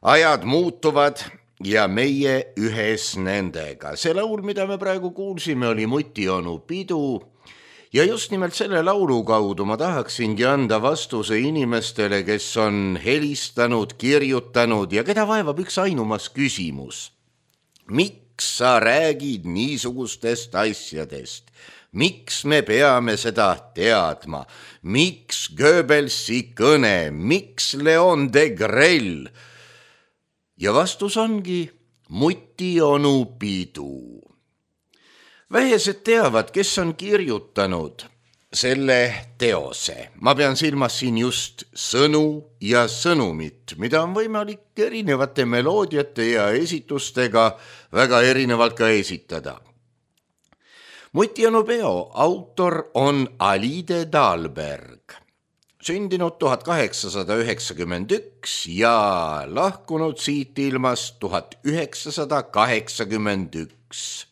Ajad muutuvad ja meie ühes nendega. See laul, mida me praegu kuulsime, oli Muti onu pidu ja just nimelt selle laulu kaudu ma tahaksingi anda vastuse inimestele, kes on helistanud, kirjutanud ja keda vaevab üks ainumas küsimus. Miks sa räägid niisugustest asjadest? Miks me peame seda teadma? Miks Goebbelsi kõne? Miks Leon Degrelle? Ja vastus ongi Muti onu pidu. Vähesed teavad, kes on kirjutanud selle teose. Ma pean silmas siin just sõnu ja sõnumit, mida on võimalik erinevate meloodiate ja esitustega väga erinevalt ka esitada. Muti onu peo autor on Alide Dahlberg, sündinud tuhat kaheksasada üheksakümmend üks ja lahkunud siit ilmast tuhat üheksasada kaheksakümmend üks.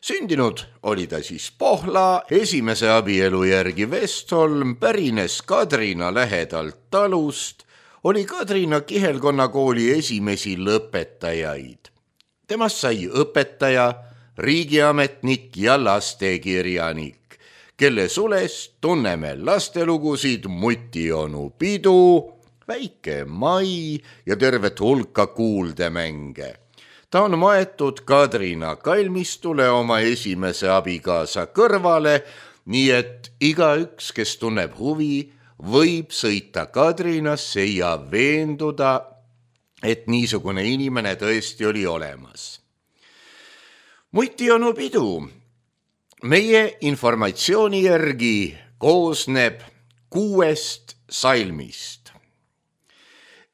Sündinud oli ta siis Pohla, esimese abielu järgi Vestholm, pärines Kadrina lähedalt talust, oli Kadrina Kihelkonna kooli esimesi lõpetajaid. Temast sai õpetaja, riigiametnik ja lastekirjanik, kelle sulest tunneme lastelugusid Muti onu pidu, Väike Mai ja tervet hulka kuuldemänge. Ta on maetud Kadrina kalmistule oma esimese abikaasa kõrvale, nii et igaüks, kes tunneb huvi, võib sõita Kadrinasse ja veenduda, et niisugune inimene tõesti oli olemas. Muti onu pidu meie informatsiooni järgi koosneb kuuest salmist.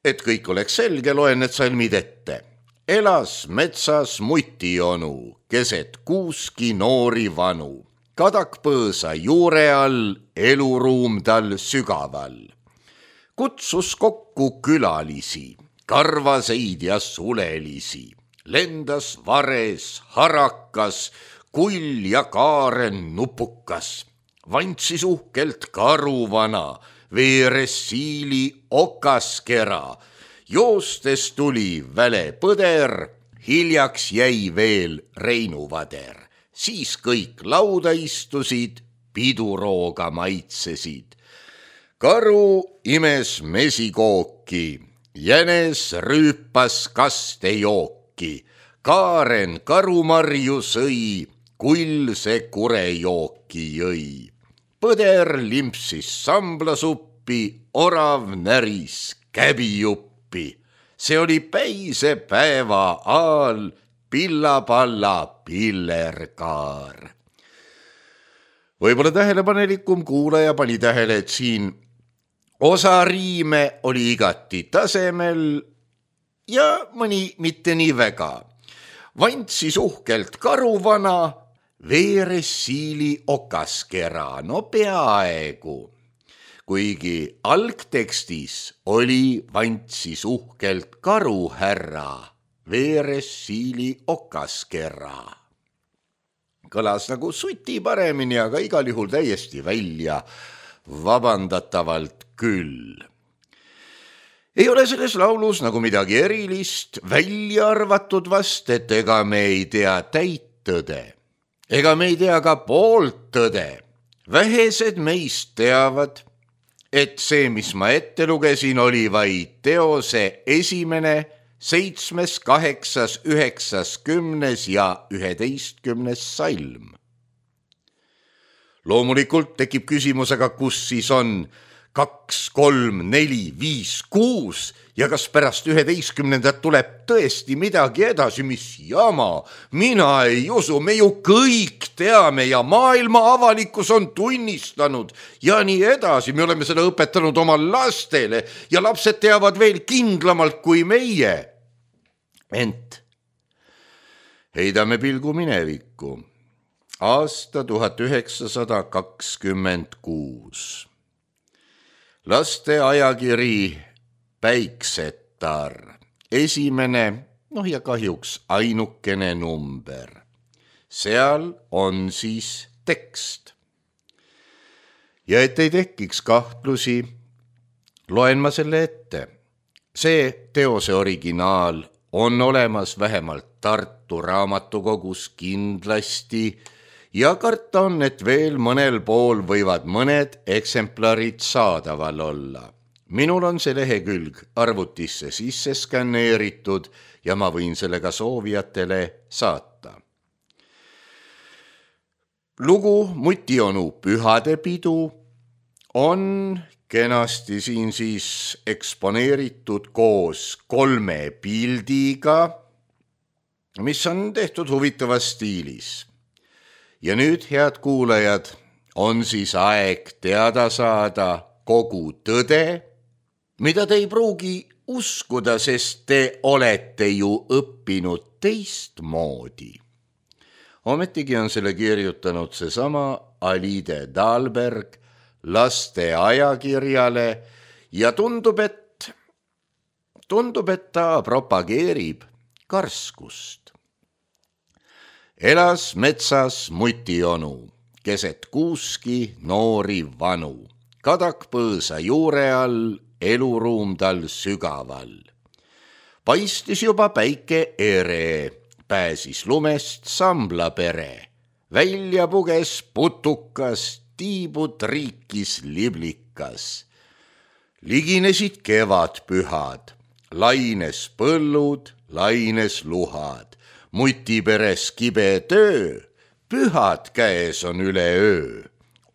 Et kõik oleks selge, loen need salmid ette. Elas metsas Muti onu, keset kuuski noori vanu. Kadakpõõsa juure all, eluruum tal sügaval. Kutsus kokku külalisi, karvaseid ja sulelisi. Lendas vares, harakas, kull ja kaaren nupukas. Vantsis uhkelt karuvana, veeres siili okaskera. Joostes tuli väle põder, hiljaks jäi veel Reinuvader. Siis kõik lauda istusid, pidurooga maitsesid. Karu imes mesikooki, jänes rüüpas kastejooki. Kaaren karumarju sõi, kull see kurejooki jõi. Põder limpsis samblasuppi, orav näris käbijuppi. See oli päise päeva aal, pillapalla pillerkaar. Võib-olla tähelepanelikum kuulaja pani tähele, et siin osa riime oli igati tasemel ja mõni mitte nii väga. Vantsis uhkelt karuvana, veeres siili okaskera, no peaaegu. Kuigi algtekstis oli vantsis uhkelt karuhärra, veeres siili okaskera. Kõlas nagu suti paremini, aga igal juhul täiesti välja, vabandatavalt küll. Ei ole selles laulus nagu midagi erilist, välja arvatud vast, et ega me ei tea täit tõde. Ega me ei tea ka poolt tõde. Vähesed meist teavad, et see, mis ma ette lugesin, oli vaid teose esimene, seitsmes, kaheksas, üheksas, kümnes ja üheteistkümnes salm. Loomulikult tekib küsimus, aga kus siis on kaks, kolm, neli, viis, kuus ja kas pärast üheteistkümnendat tuleb tõesti midagi edasi, mis jama? Mina ei usu, me ju kõik teame ja maailma avalikkus on tunnistanud ja nii edasi. Me oleme seda õpetanud oma lastele ja lapsed teavad veel kindlamalt kui meie. Ent heidame pilgu minevikku. Aasta tuhat üheksasada kakskümmend kuus. Laste ajakiri Päiksetar, esimene, noh ja kahjuks ainukene number. Seal on siis tekst. Ja et ei tekiks kahtlusi, loen ma selle ette. See teose originaal on olemas vähemalt Tartu raamatukogus kindlasti ja karta on, et veel mõnel pool võivad mõned eksemplarid saadaval olla. Minul on see lehekülg arvutisse sisse skanneeritud ja ma võin sellega soovijatele saata. Lugu Mutionu pühadepidu on kenasti siin siis eksponeeritud koos kolme pildiga, mis on tehtud huvitavas stiilis. Ja nüüd, head kuulajad, on siis aeg teada saada kogu tõde, mida te ei pruugi uskuda, sest te olete ju õppinud teistmoodi. Ometigi on selle kirjutanud seesama Alide Dahlberg laste ajakirjale ja tundub, et, tundub, et ta propageerib karskust. Elas metsas Mutionu, keset kuuski noori vanu, kadak põõsa juure all, eluruum tal sügaval. Paistis juba päike ere, pääsis lumest sambla pere, välja puges putukas, tiibud riikis liblikas. Liginesid kevad pühad, laines põllud, laines luhad. Muti peres kibe töö, pühad käes on üle öö.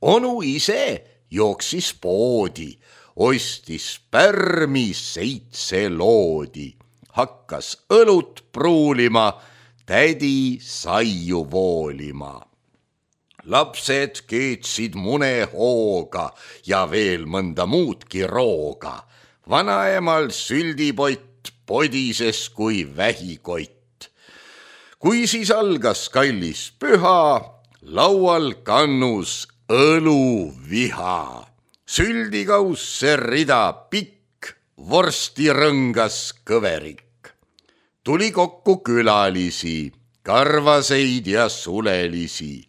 Onu ise jooksis poodi, ostis pärmi seitse loodi, hakkas õlut pruulima, tädi saiu voolima. Lapsed keetsid mune hooga ja veel mõnda muudki rooga. Vanaemal süldipott podises kui vähikott. Kui siis algas kallis püha, laual kannus õluviha. Süldigausse rida pikk, vorsti rõngas kõverik. Tuli kokku külalisi, karvaseid ja sulelisi.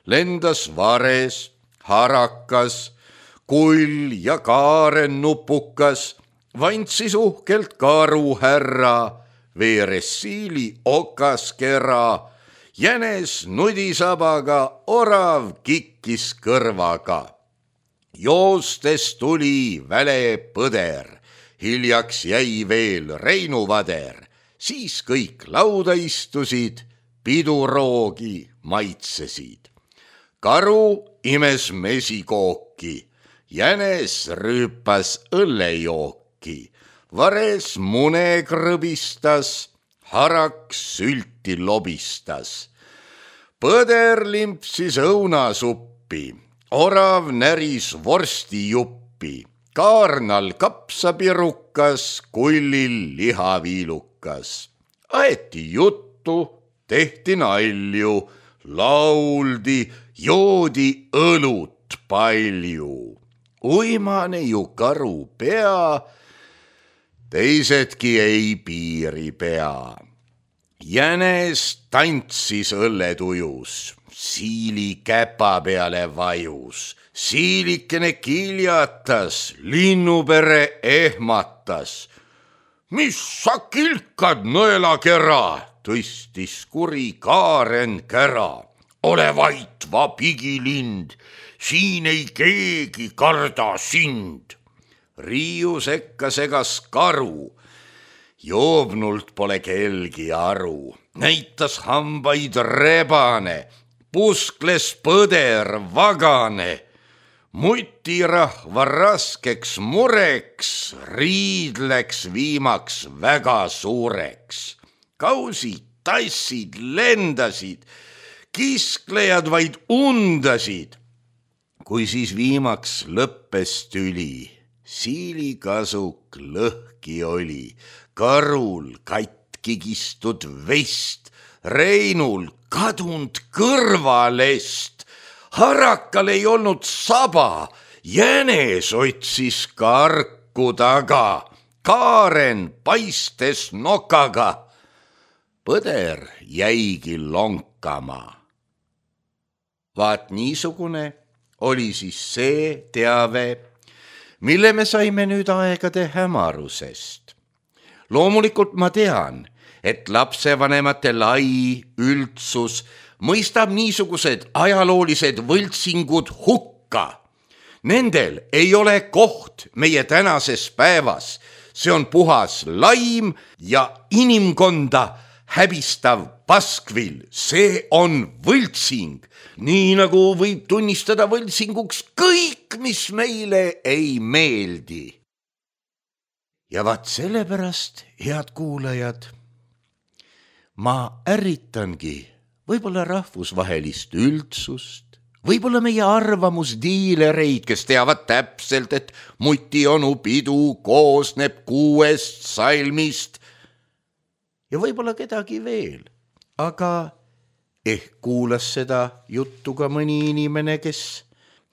Lendas vares, harakas, kull ja kaaren nupukas, vantsis uhkelt karu härra, veeres siili okas kera, jänes nudisabaga, orav kikkis kõrvaga. Joostes tuli väle põder, hiljaks jäi veel Reinu vader, siis kõik lauda istusid, piduroogi maitsesid. Karu imes mesikooki, jänes rüüpas õllejooki, vares mune krõbistas, harak sülti lobistas. Põder limpsis õunasuppi, orav näris vorstijuppi, kaarnal kapsapirukas, kullil lihaviilukas. Aeti juttu, tehti nalju, lauldi, joodi õlut palju. Uimane ju karu pea, teisedki ei piiri pea. Jänes tantsis õlletujus, siili käpa peale vajus, siilikene kiljatas, linnupere ehmatas. Mis sa kilkad, nõelakera, tõstis kuri kaaren kära. ole vait, va pigilind, siin ei keegi karda sind. Riiu sekka segas karu, joobnult pole kelgi aru, näitas hambaid rebane, puskles põder vagane. Mutirahva raskeks mureks, riid läks viimaks väga suureks. Kausid, tassid, lendasid, kisklejad vaid undasid. Kui siis viimaks lõppes tüli, siilikasuk lõhki oli, karul katki kistud vest, Reinul kadunud kõrvalest. Harakal ei olnud saba, jänes otsis karku taga, Kaaren paistes nokaga. Põder jäigi lonkama. Vaat niisugune oli siis see teave, mille me saime nüüd aegade hämarusest. Loomulikult ma tean, et lapsevanemate lai üldsus mõistab niisugused ajaloolised võltsingud hukka. Nendel ei ole koht meie tänases päevas. See on puhas laim ja inimkonda häbistav paskvill. See on võltsing, nii nagu võib tunnistada võltsinguks kõik, mis meile ei meeldi. Ja vaat sellepärast, head kuulajad, ma ärritangi võib-olla rahvusvahelist üldsust, võib-olla meie arvamusdiilereid, kes teavad täpselt, et Mutionu pidu koosneb kuuest salmist ja võib-olla kedagi veel, aga ehk kuulas seda juttu ka mõni inimene, kes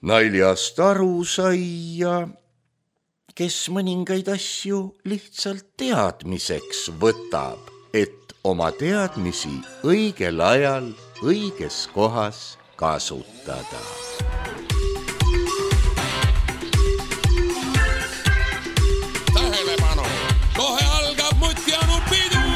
naljast aru sai ja kes mõningaid asju lihtsalt teadmiseks võtab, et oma teadmisi õigel ajal õiges kohas kasutada.
Tähelepanu, kohe algab Mutionu pidu!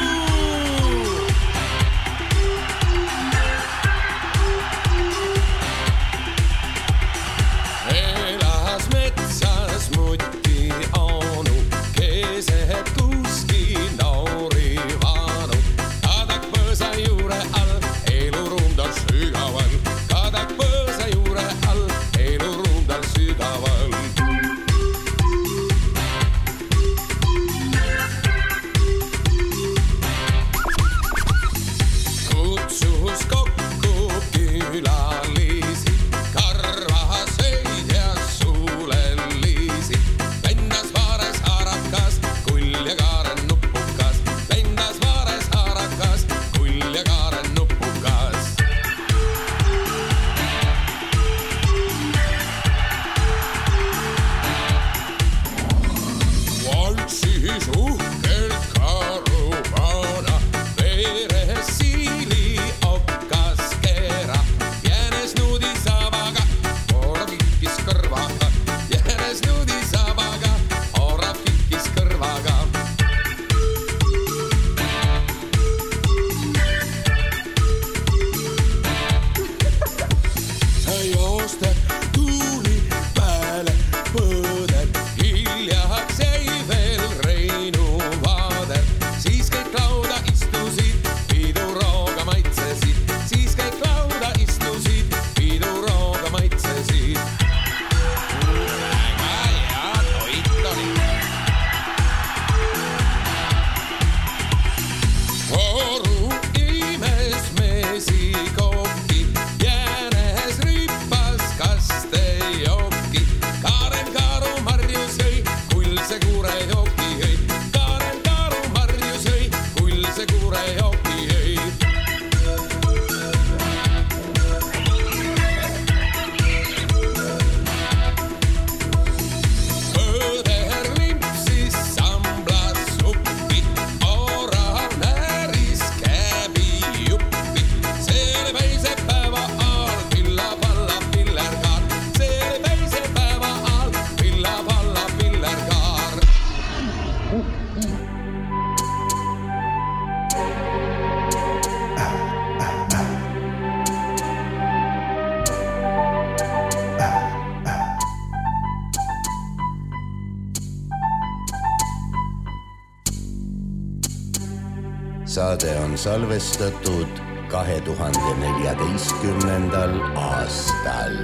Elas metsas Mutionu, keset kuski noori vaanu. Kadak põõsa juure all, eluruum ta sügaval. Kadak põõsa juure all,
saade on salvestatud kahe tuhande neljateistkümnendal aastal.